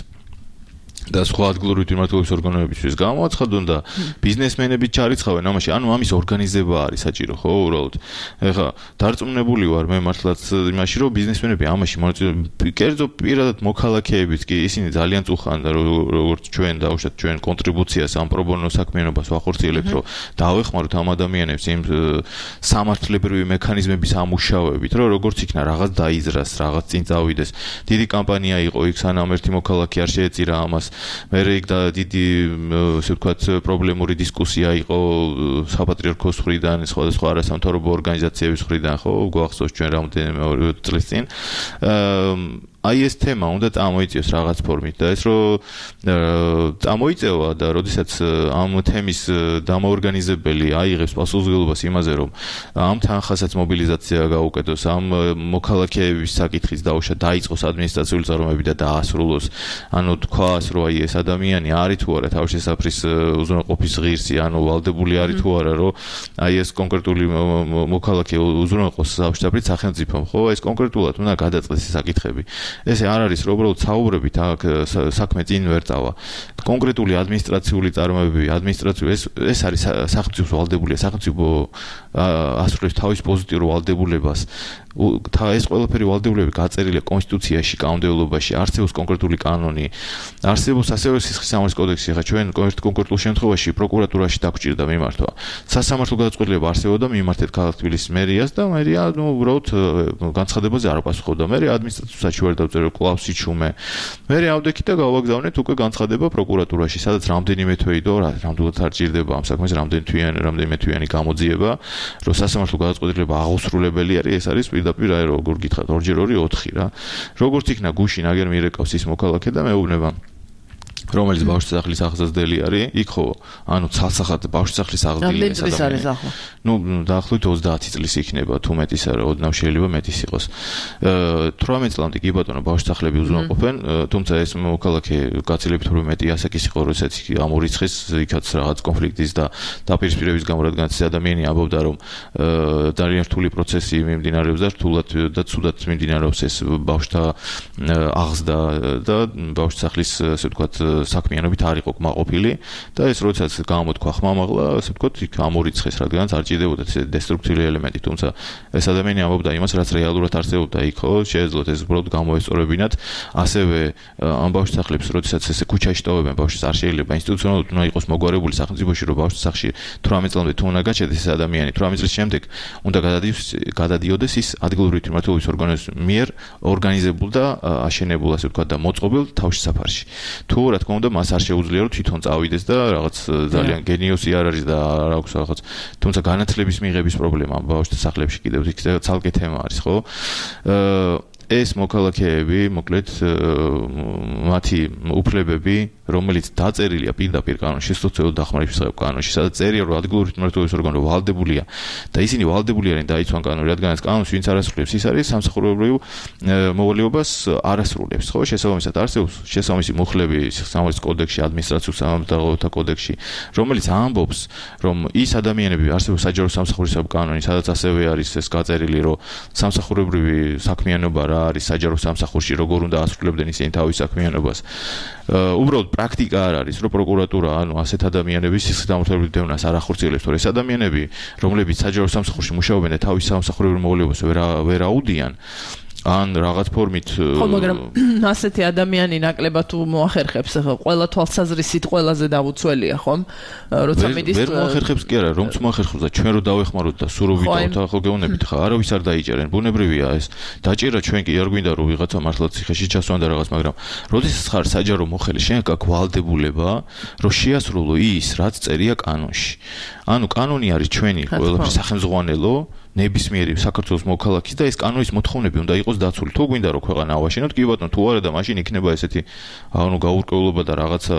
და სხვა ადგილობრივი თვითმმართველობის ორგანოებისთვის გამოაცხადონ და ბიზნესმენები ჩარიცხავენ ამაში, ანუ ამის ორგანიზება არის საჭირო, ხო, უბრალოდ. ეხლა დარწმუნებული ვარ მე მართლაც იმაში, რომ ბიზნესმენები ამაში მონაწილეობენ, კერძო პირადად მოქალაქეებიც კი ისინი ძალიან წუხან და როგორც ჩვენ დავუშვათ ჩვენ კონტრიბუციას ამ პრობონო საქმიანობას ვახორციელებთ, რომ დავეხმაროთ ამ ადამიანებს იმ სამართლებრივი მექანიზმების ამუშავებით, რომ როგორც იქნა რაღაც დაიზრას, რაღაც წინ წავიდეს. დიდი კამპანია იყო იქ, სანამ ერთი მოქალაქე არ შეეწირა ამას. მერე იქ და დიდი ასე ვთქვათ პრობლემური დისკუსია იყო საპატრიარქოს მხრიდან, სხვადასხვა არასამთავრობო ორგანიზაციების მხრიდან, ხო, გვახსოვს ჩვენ რამდენიმე წლის წინ. აი ეს თემა უნდა წამოიწიოს რაღაც ფორმით და ეს რომ წამოიწევა და როდესაც ამ თემის დამოორგანიზებელი აიღებს პასუხისმგებლობას იმაზე, რომ ამ თანხასაც მობილიზაცია გაუკეთოს, ამ მოქალაქეების საკითხის დაუშვა დაიწყოს ადმინისტრაციული წარმოებები და დაასრულოს, ანუ თქვას, რომ აი ეს ადამიანი არის თუ არა თავშესაფრის უზრუნველყოფის ღირსი, ანუ ვალდებული არის თუ არა, რომ აი ეს კონკრეტული მოქალაქე უზრუნველყოს თავშესაფრით სახელმწიფომ, ხო, ეს კონკრეტულად უნდა გადაწყდეს ეს საკითხები. ესე არ არის, რომ უბრალოდ საუბრებით აქ საქმე წინ ვერ წავა. კონკრეტული ადმინისტრაციული წარმოებები, ადმინისტრაციული ეს ეს არის სახელმწიფოს ვალდებულია, სახელმწიფო ასრულებს თავის პოზიტიურ ვალდებულებას. ეს ყველაფერი ვალდებულება გაწერილია კონსტიტუციაში, კანონმდებლობაში, არსებობს კონკრეტული კანონი, არსებობს ასევე სისხლის სამართლის კოდექსი, ხა ჩვენ კონკრეტულ შემთხვევაში პროკურატურაში დაგვჭირდა მიმართვა. სასამართლო გადაწყვეტილება არსებობდა მიმართეთ ქალაქ თბილისის მერიას და მერია ნუ უბრალოდ განცხადებაზე არ პასუხობდა. მე ადმინისტრაციულ საჩივარ დავწერე კლავს იჩუმე. მე ავდექით და გავაგზავნეთ უკვე განცხადება პროკურატურაში, სადაც რამდენიმე თვე იდო, რამდენად არ ჭირდება ამ საქმეს, რამდენი თვიანი, რამდენიმე თვიანი გამოძიება, რომ სასამართლო გადაწყვეტილება აღუსრულებელი არის, ეს არის პირდაპირ აი როგორ გითხრათ, ორჯერ ორი ოთხი რა. როგორც იქნა გუშინ აგერ მირეკავს ის მოქალაქე და მეუბნება რომელიც ბავშვსახლის აღზრდელი არის, იქ ხო, ანუ ცალსახად ბავშვსახლის აღზრდილი ეს ადამიანი. ნუ დაახლოებით ოცდაათი წლის იქნება, თუ მეტის არა, ოდნავ შეიძლება მეტის იყოს. თვრამეტ წლამდე კი ბატონო ბავშვსახლები უზრუნველყოფენ, თუმცა ეს მოქალაქე გაცილებით უფრო მეტი ასაკის იყო, როდესაც ამორიცხეს იქაც რაღაც კონფლიქტის და დაპირისპირების გამო, რადგანაც ეს ადამიანი ამბობდა, რომ ძალიან რთული პროცესი მიმდინარეობს და რთულად და ცუდად მიმდინარეობს ეს ბავშვთა აღზრდა და ბავშვსახლის, ასე ვთქვათ, საქმიანობით არ იყო კმაყოფილი და ეს როდესაც გამოთქვა ხმამაღლა, ასე ვთქვათ, იქ ამორიცხეს, რადგანაც არ ჭირდებოდა ეს დესტრუქციული ელემენტი, თუმცა ეს ადამიანი ამბობდა იმას, რაც რეალურად არსებობდა იქ, ხო, შეეძლოთ ეს უბრალოდ გამოესწორებინათ, ასევე ამ ბავშვს სახლებს, როდესაც ესე ქუჩაში ტოვებენ ბავშვს, არ შეიძლება ინსტიტუციონალურად უნდა იყოს მოგვარებული სახელმწიფოში, რომ ბავშვს სახლში თვრამეტ წლამდე თუ უნდა გაჩერდეს ეს ადამიანი, თვრამეტ წლის შემდეგ უნდა გადადიოდეს ის ადგილობრივი თვითმმართველობის ორგანოს მიერ ორგანიზებულ და აშენებულ, ასე ვთქვათ, და მოწყობილ თავშესაფარში. თუ რა თქმა უნდა მას არ შეუძლია რომ თვითონ წავიდეს და რაღაც ძალიან გენიოსი არ არის და არ აქვს რაღაც, თუმცა განათლების მიღების პრობლემა ბავშვთა სახლებში კიდევ იქ ცალკე თემა არის, ხო? ეს მოქალაქეები, მოკლედ მათი უფლებები, რომელიც დაწერილია პირდაპირ კანონში, სოციალურ დახმარების კანონში, სადაც წერია, რომ ადგილობრივი თვითმმართველობის ორგანო ვალდებულია და ისინი ვალდებული არიან დაიცვან კანონი, რადგანაც კანონს ვინც არ ასრულებს, ის არის სამსახურებრივ მოვალეობას არ ასრულებს, ხო? შესაბამისად არსებობს შესაბამისი მუხლები სამართლის კოდექსში, ადმინისტრაციულ სამართალთა კოდექსში, რომელიც ამბობს, რომ ის ადამიანები არსებობს საჯარო სამსახურის კანონი, სადაც ასევე არის ეს გაწერილი, რომ სამსახურებრივი საქმიანობა რა არის საჯარო სამსახურში, როგორ უნდა ასრულებდნენ ისინი თავის საქმიანობას. უბრალოდ პრაქტიკა არ არის, რომ პროკურატურა ანუ ასეთ ადამიანების სიხსრით დევნას არ ახორციელებს, თორე ეს ადამიანები, რომლებიც საჯარო სამსახურში მუშაობენ და თავის სამსახურებრივ მოვალეობას ვერ ვერ აუდიან, ან რაღაც ფორმით ხო, მაგრამ ასეთი ადამიანი ნაკლებად თუ მოახერხებს, ხო, ყველა თვალსაზრისით ყველაზე დაუცველია, ხომ? როცა მიდის ვერ მოახერხებს კი არა, რომც მოახერხებს და ჩვენ რო დავეხმაროთ და სულ რო ვიტოვოთ, ხო გეუბნებით ხა, არავის არ დაიჭერენ. ბუნებრივია ეს. დაჭერა ჩვენ კი არ გვინდა რომ ვიღაცა მართლა ციხეში ჩასვან და რაღაც, მაგრამ როდესაც ხარ საჯარო მოხელი, შენ გაქვს ვალდებულება, რომ შეასრულო ის, რაც წერია კანონში. ანუ კანონი არის ჩვენი ყველაფრის სახელმძღვანელო, ნებისმიერი საქართველოს მოქალაქის და ეს კანონის მოთხოვნები უნდა იყოს დაცული. თუ გვინდა რომ ქვეყანა ავაშენოთ, კი ბატონო, თუ არა და მაშინ იქნება ესეთი ანუ გაურკვევლობა და რაღაცა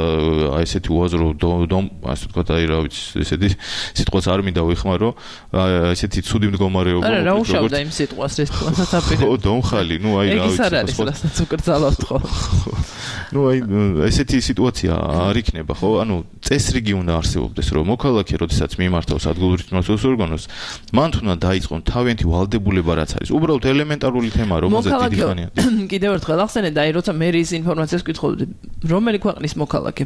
აი ესეთი უაზრო დომ, ასე ვთქვათ, აი რა ვიცი, ესეთი სიტყვაც არ მინდა ვიხმარო, ესეთი ცუდი მდგომარეობა. არა, რა უშავდა იმ სიტყვას ეს თვითონ. ხო, დომხალი, ნუ აი რა ვიცი, ეს რასაც უკრძალავთ ხო. ნუ აი ესეთი სიტუაცია არ იქნება, ხო? ანუ წესრიგი უნდა არსებობდეს, რომ მოქალაქე, როდესაც მიმართავს ადგილობრივ თვითმმართველობის ორგანოს, მან თუნდა დაიწყონ თავიანთი ვალდებულება რაც არის. უბრალოდ ელემენტარული თემა, რომელზეც დიდი ხანია. კიდევ ერთხელ ახსენე და აი როცა მე ის ინფორმაციას ვკითხავდი, რომელი ქვეყნის მოქალაქე?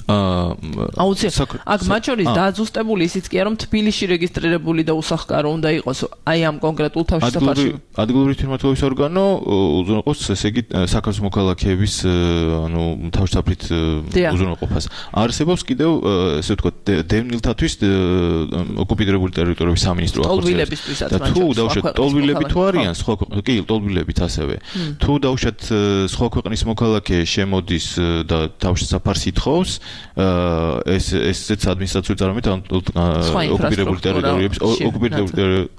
აა აუცილებლად აქ მათ შორის დააძუსტებული ისიც კი არა რომ თბილისში რეგისტრირებული და უსახკარო უნდა იყოს აი ამ კონკრეტულ თავშესაფარში. ადგილობრივი თვითმმართველობის ორგანო უზრუნველყოფს, ესე იგი საქართველოს მოქალაქეების ანუ თავშესაფრით უზრუნველყოფას. არსებობს კიდევ ესე ვთქვათ დევნილთათვის ოკუპირებული ტერიტორიების სამინისტრო ახორციელებს. და თუ დავუშვათ ტოლვილები თუ არიან სხვა კი ტოლვილებიც ასევე. თუ დავუშვათ სხვა ქვეყნის მოქალაქე შემოდის და თავშესაფარს ითხოვს, ეს ესეც ადმინისტრაციული წარმოებით ოკუპირებული ტერიტორიების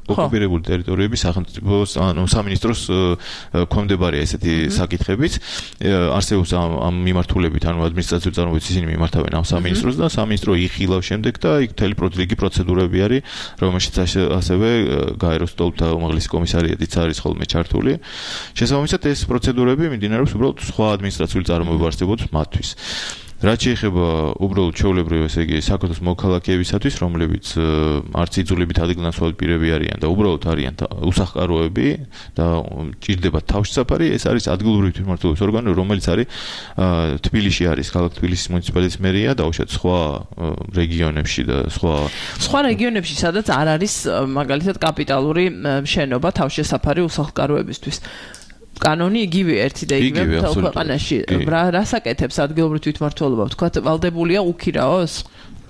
ოკუპირებული ტერიტორიების სახელმწიფოს ანუ სამინისტროს ქვემდებარია ესეთი საკითხებიც. არსებობს ამ მიმართულებით ანუ ადმინისტრაციული წარმოებით ისინი მიმართავენ ამ სამინისტროს და სამინისტრო იხილავს შემდეგ და იქ მთელი პროცედურები პროცედურები არის, რომელშიც ასევე გაეროს სტოლთა უმაღლესი კომისარიატიც არის ხოლმე ჩართული. შესაბამისად ეს პროცედურები მიმდინარეობს უბრალოდ სხვა ადმინისტრაციული წარმოება არსებობს მათთვის. რაც შეეხება უბრალოდ ჩვეულებრივ, ესე იგი, საქართველოს მოქალაქეებისათვის, რომლებიც არც იძულებით ადგილნაცვალ პირები არიან და უბრალოდ არიან უსახკაროები და ჭირდება თავშესაფარი, ეს არის ადგილობრივი თვითმმართველობის ორგანო, რომელიც არის თბილისში არის, ქალაქ თბილისის მუნიციპალიტეტის მერია, დაუშვათ სხვა რეგიონებში და სხვა სხვა რეგიონებში, სადაც არ არის მაგალითად კაპიტალური შენობა თავშესაფარი უსახკაროებისთვის. კანონი იგივე ერთი და იგივე მთელ ქვეყანაში. რას აკეთებს ადგილობრივი თვითმმართველობა? ვთქვათ, ვალდებულია უქირაოს?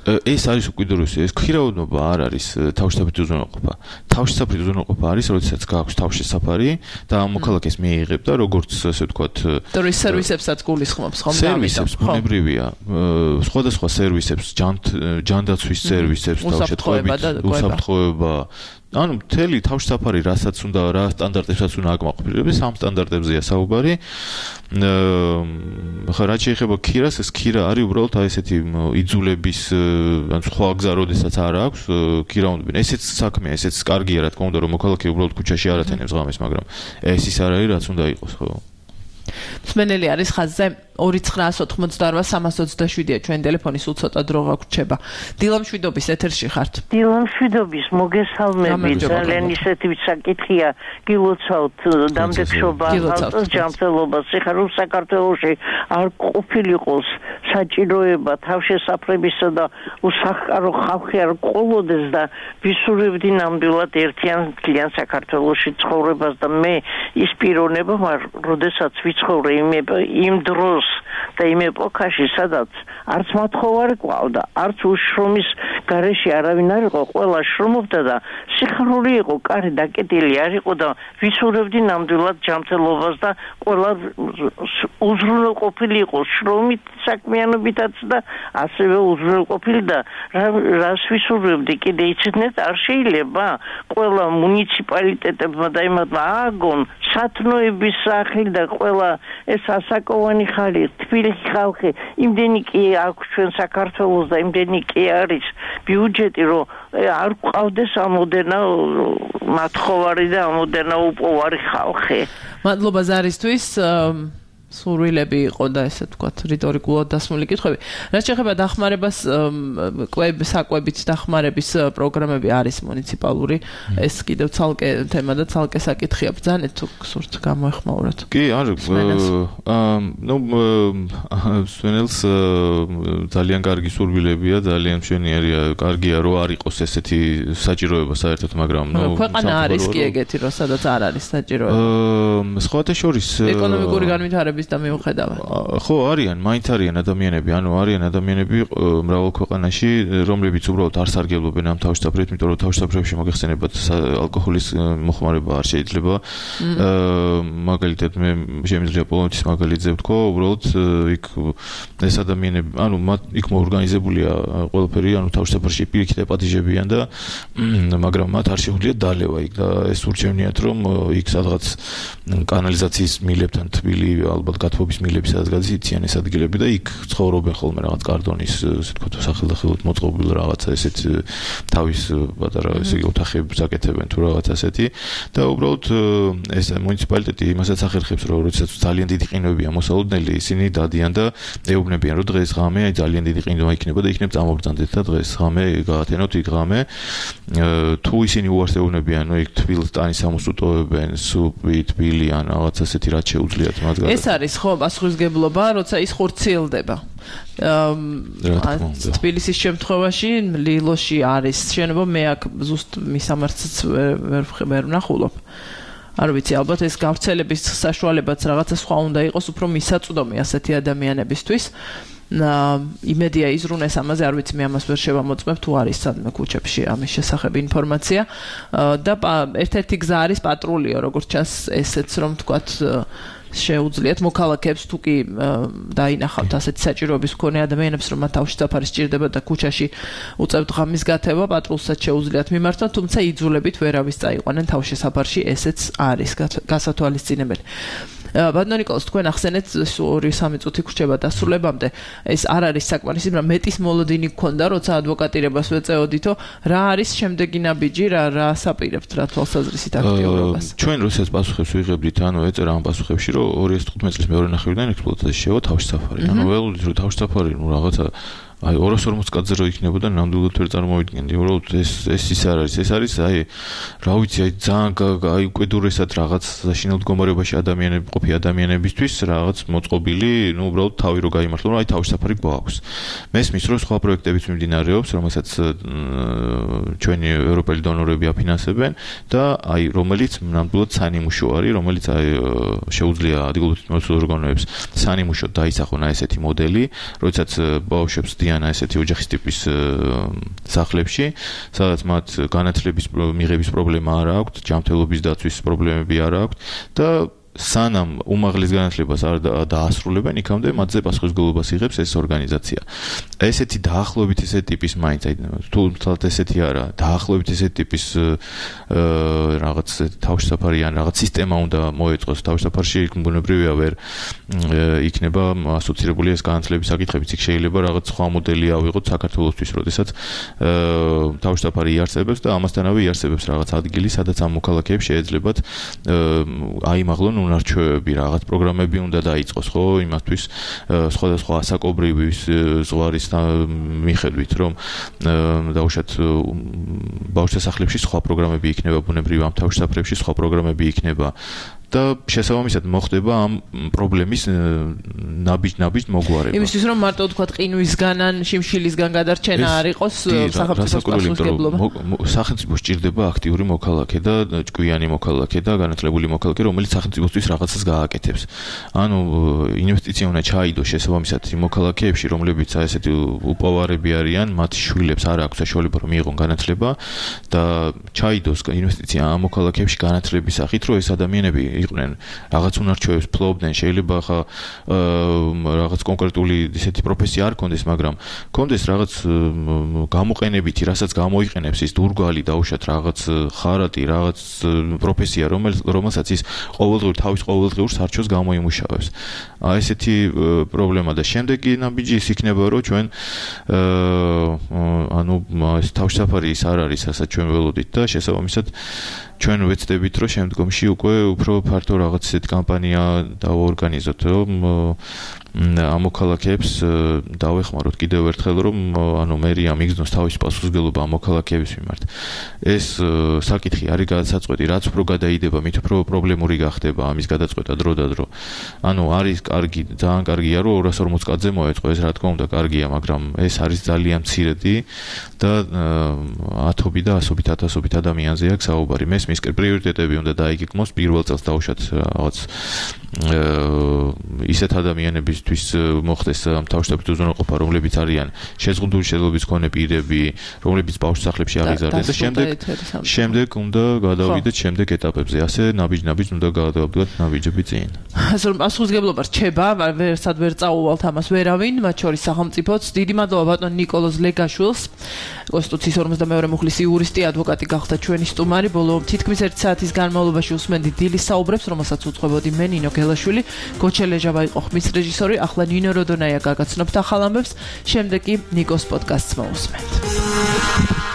ეს არის უკიდურესი, ეს ქირაოდნობა არ არის თავშესაფრით უზრუნველყოფა. თავშესაფრით უზრუნველყოფა არის, როდესაც გააქვს თავშესაფარი და ამ მოქალაქეს მიიღებ და როგორც ასე ვთქვათ, ტურისტ სერვისებსაც გულისხმობს, ხომ? სერვისებს ბუნებრივია, სხვადასხვა სერვისებს, ჯანდაცვის სერვისებს, თავშესაფრებით, უსაფრთხოება ანუ მთელი თავშესაფარი რასაც უნდა რა სტანდარტებსაც უნდა აკმაყოფილებს, ამ სტანდარტებზეა საუბარი. ხა რაც შეეხება ქირას, ეს ქირა არის უბრალოდ აი ესეთი იძულების ან სხვა გზა როდესაც არ აქვს ქირა უნდა. ესეც საქმეა, ესეც კარგია რა თქმა უნდა, რომ მოქალაქე უბრალოდ ქუჩაში არ ათენებს ღამეს, მაგრამ ეს ის არ არის რაც უნდა იყოს, ხო? მსმენელი არის ხაზზე. ორი ცხრაას ოთხმოცდაორვა სამას ოცდაშვიდია ჩვენ ტელეფონი სულ ცოტა დრო გაგვრჩება. დილა მშვიდობის ეთერში ხართ. დილა მშვიდობის მოგესალმები ძალიან ისეთი საკითხია გილოცავთ დამდეგშობა ავტოს ჯანმრთელობას ეხლა საქართველოში არ ყოფილიყოს საჭიროება თავშესაფრებისა და უსახკარო ხალხი არ ყოლოდეს და ვისურვებდი ნამდვილად ერთიან მთლიან საქართველოში ცხოვრებას და მე ის პიროვნება მარ როდესაც ვიცხოვრე იმ იმ დროს და იმ ეპოქაში სადაც არც მათხოვარი ყავდა არც უშრომის გარეშე არავინ არ იყო ყველა შრომობდა და სიხარული იყო კარი დაკეტილი არ იყო და ვისურვებდი ნამდვილად ჯანმრთელობას და ყველა უზრუნველყოფილი იყო შრომით საქმიანობითაც და ასევე უზრუნველყოფილი და რას ვისურვებდი კიდე იცით არ შეიძლება ყველა მუნიციპალიტეტებმა და იმათმა ააგონ სათნოების სახლი და ყველა ეს ასაკოვანი ხალი თბილისის ხალხი იმდენი კი აქვს ჩვენ საქართველოს და იმდენი კი არის ბიუჯეტი რომ არ ყავდეს ამოდენა მათხოვარი და ამოდენა უპოვარი ხალხი. მადლობა ზარისთვის. სურვილები იყო და ესე ვთქვათ რიტორიკულად დასმული კითხვები. რაც შეეხება დახმარებას, კვებ საკვებით დახმარების პროგრამები არის მუნიციპალური. ეს კიდევ ცალკე თემა და ცალკე საკითხია. ბრძანეთ თუ გსურთ გამოეხმაუროთ. კი, არ ნუ სვენელს ძალიან კარგი სურვილებია, ძალიან მშვენიერია, კარგია რომ არ იყოს ესეთი საჭიროება საერთოდ, მაგრამ ნუ ქვეყანა არის კი ეგეთი, რომ სადაც არ არის საჭიროება. სხვათა შორის ეკონომიკური განვითარების და მიუხედავად. ხო, არიან, მაინც არიან ადამიანები, ანუ არიან ადამიანები მრავალ ქვეყანაში, რომლებიც უბრალოდ არ სარგებლობენ ამ თავშესაფრებით, იმიტომ რომ თავშესაფრებში მოგეხსენებათ ალკოჰოლის მოხმარება არ შეიძლება. მაგალითად მე შემიძლია პოლონეთის მაგალითზე ვთქვა, უბრალოდ იქ ეს ადამიანები, ანუ მათ იქ მოორგანიზებულია ყველაფერი, ანუ თავშესაფრში პირიქით ეპატიჟებიან და მაგრამ მათ არ შეუძლიათ დალევა იქ და ეს ურჩევნიათ რომ იქ სადღაც კანალიზაციის მილებთან თბილი ალბათ გათბობის მილები სადაც გადაიციან ეს ადგილები და იქ ცხოვრობენ ხოლმე რაღაც კარდონის ესე ვთქვათ სახელდახელოდ მოწყობილ რაღაცა ესეთ თავის პატარა ესე იგი ოთახებს აკეთებენ თუ რაღაც ასეთი და უბრალოდ ეს მუნიციპალიტეტი იმასაც ახერხებს რომ როდესაც ძალიან დიდი ყინვებია მოსალოდნელი ისინი დადიან და ეუბნებიან რომ დღეს ღამე აი ძალიან დიდი ყინვა იქნება და იქნებ წამობრძანდეთ და დღეს ღამე გაათენოთ იქ ღამე თუ ისინი უარს ეუბნებიან რომ იქ თბილ ტანის სამუსუტოებენ სუპი თბილი ან რაღაც ასეთი რაც შეუძლიათ მათ ეს არის ხო პასუხისგებლობა, როცა ის ხორციელდება. თბილისის შემთხვევაში ლილოში არის შენობა, მე აქ ზუსტ მისამართიც ვერ ვნახულობ. არ ვიცი, ალბათ ეს გავრცელების საშუალებაც რაღაცა სხვა უნდა იყოს, უფრო მისაწვდომი ასეთი ადამიანებისთვის. იმედია იზრუნეს ამაზე, არ ვიცი, მე ამას ვერ შევამოწმებ თუ არის სადმე ქუჩებში ამის შესახებ ინფორმაცია და ერთ-ერთი გზა არის პატრულიო, როგორც ჩანს ესეც რომ ვთქვათ შეუძლიათ მოქალაქეებს თუ კი დაინახავთ ასეთი საჭიროების მქონე ადამიანებს რომ მათ თავშესაფარი სჭირდება და ქუჩაში უწევთ ღამის გათევა პატრულსაც შეუძლიათ მიმართონ, თუმცა იძულებით ვერავის წაიყვანენ თავშესაფარში, ესეც არის გასათვალისწინებელი. ბატონო ნიკოლოზ, თქვენ ახსენეთ ორი სამი წუთი გრჩება დასრულებამდე. ეს არ არის საკმარისი, მაგრამ მეტის მოლოდინი გქონდა, როცა ადვოკატირებას ვეწეოდითო, რა არის შემდეგი ნაბიჯი, რა რა ასაპირებთ, რა თვალსაზრისით აქტიურობას? ჩვენ როდესაც პასუხებს ვიღებდით, ანუ ეწერა ამ პასუხებში, რომ ორი ათი თხუთმეტი წლის მეორე ნახევრიდან ექსპლუატაციაში შევა თავშესაფარი. ანუ ველოდით რომ თავშესაფარი, ნუ რაღაცა აი ორას ორმოც კაცზე რო იქნებოდა ნამდვილად ვერ წარმოვიდგენდი, უბრალოდ ეს ეს ის არ არის, ეს არის აი რა ვიცი, აი ძალიან აი უკიდურესად რაღაც საშინელ მდგომარეობაში ადამიანები ყოფი ადამიანებისთვის რაღაც მოწყობილი, ნუ უბრალოდ თავი რო გაიმართლო, რომ აი თავშესაფარი გვაქვს. მესმის რომ სხვა პროექტებიც მიმდინარეობს, რომელსაც ჩვენი ევროპელი დონორები აფინანსებენ და აი რომელიც ნამდვილად სანიმუშო არის, რომელიც აი შეუძლია ადგილობრივ ორგანოებს სანიმუშოდ დაისახონ აი ესეთი მოდელი, როდესაც ბავშვებს დიანა ესეთი ოჯახის ტიპის სახლებში, სადაც მათ განათლების მიღების პრობლემა არ აქვს, ჯანმრთელობის დაცვის პრობლემები არ აქვს და სანამ უმაღლეს განათლებას არ დაასრულებენ, იქამდე მათზე პასუხისმგებლობას იღებს ეს ორგანიზაცია. ესეთი დაახლოებით ესეთი ტიპის მაინც აი თუ თვალთ ესეთი არა, დაახლოებით ესეთი ტიპის რაღაც თავშესაფარი ან რაღაც სისტემა უნდა მოეწყოს თავშესაფარში, ბუნებრივია ვერ იქნება ასოცირებული ეს განათლების საკითხებიც. იქ შეიძლება რაღაც სხვა მოდელი ავიღოთ საქართველოსთვის, როდესაც თავშესაფარი იარსებებს და ამასთანავე იარსებებს რაღაც ადგილი, სადაც ამ მოქალაქეებს შეეძლებათ აიმაღლონ განუნარჩევები, რაღაც პროგრამები უნდა დაიწყოს, ხო, იმათთვის სხვადასხვა ასაკობრივი ზღვარის მიხედვით, რომ დაუშვათ ბავშვთა სახლებში სხვა პროგრამები იქნება, ბუნებრივ ამ თავშესაფრებში სხვა პროგრამები იქნება. და შესაბამისად მოხდება ამ პრობლემის ნაბიჯ-ნაბიჯ მოგვარება. იმისთვის რომ მარტო თქვა ყინვისგან ან შიმშილისგან გადარჩენა არ იყოს სახელმწიფოს პასუხისმგებლობა. სახელმწიფოს ჭირდება აქტიური მოქალაქე და ჭკვიანი მოქალაქე და განათლებული მოქალაქე, რომელიც სახელმწიფოსთვის რაღაცას გააკეთებს. ანუ ინვესტიცია უნდა ჩაიდოს შესაბამისად იმ მოქალაქეებში, რომლებიც აი ესეთი უპოვარები არიან, მათი შვილებს არ აქვს საშუალება რომ მიიღონ განათლება და ჩაიდოს ინვესტიცია ამ მოქალაქეებში განათლების სახით, რომ ეს ადამიანები იყვნენ რაღაც უნარჩვევებს ფლობდნენ, შეიძლება ხა რაღაც კონკრეტული ისეთი პროფესია არ კონდეს, მაგრამ კონდეს რაღაც გამოყენებითი, რასაც გამოიყენებს ის დურგალი დაუშვათ რაღაც ხარატი, რაღაც პროფესია, რომელსაც ის ყოველდღიურ თავის ყოველდღიურ სარჩოს გამოიმუშავებს. აი ესეთი პრობლემა და შემდეგი ნაბიჯი ის იქნება, რომ ჩვენ ანუ ეს თავშესაფარი ის არ არის, რასაც ჩვენ ველოდით და შესაბამისად ჩვენ ვეცდებით, რომ შემდგომში უკვე უფრო ფართო რაღაც ისეთი კამპანია დავორგანიზოთ, რომ ამ მოქალაქეებს დავეხმაროთ კიდევ ერთხელ, რომ ანუ მერია მიგზნოს თავის პასუხისმგებლობა ამ მოქალაქეების მიმართ. ეს საკითხი არის გადასაწყვეტი, რაც უფრო გადაიდება, მით უფრო პრობლემური გახდება ამის გადაწყვეტა დრო და დრო. ანუ არის კარგი, ძალიან კარგია, რომ ორას ორმოც კაცზე მოეწყო, ეს რა თქმა უნდა კარგია, მაგრამ ეს არის ძალიან მცირედი და ათობით და ასობით ათასობით ადამიანზე აქვს საუბარი. მე მის პრიორიტეტები უნდა დაიგეგმოს პირველ წელს დაუშვათ რაღაც ისეთ ადამიანებისთვის მოხდეს ამ თავშესაფრით უზრუნველყოფა, რომლებიც არიან შეზღუდული შეძლების მქონე პირები, რომლებიც ბავშვსახლებში აღიზარდნენ და შემდეგ შემდეგ უნდა გადავიდეთ შემდეგ ეტაპებზე. ასე ნაბიჯ-ნაბიჯ უნდა გადავდგათ ნაბიჯები წინ. ასე რომ პასუხისმგებლობა რჩება, ვერსად ვერ წაუვალთ ამას ვერავინ, მათ შორის სახელმწიფოც. დიდი მადლობა ბატონ ნიკოლოზ ლეგაშვილს, კონსტიტუციის ორმოცდამეორე მუხლის იურისტი, ადვოკატი გახდა ჩვენი სტუმარი. ბოლო თითქმის ერთი საათის განმავლობაში უსმენდით დილის საუბრებს, რომელსაც უძღვებოდი მე ნინო გელაშვილი, გოჩელეჟავა იყო ხმის რეჟისორი, ახლა ნინო როდონაია გაგაცნობთ ახალ ამბებს, შემდეგ კი ნიკოს პოდკასტს მოусმენთ.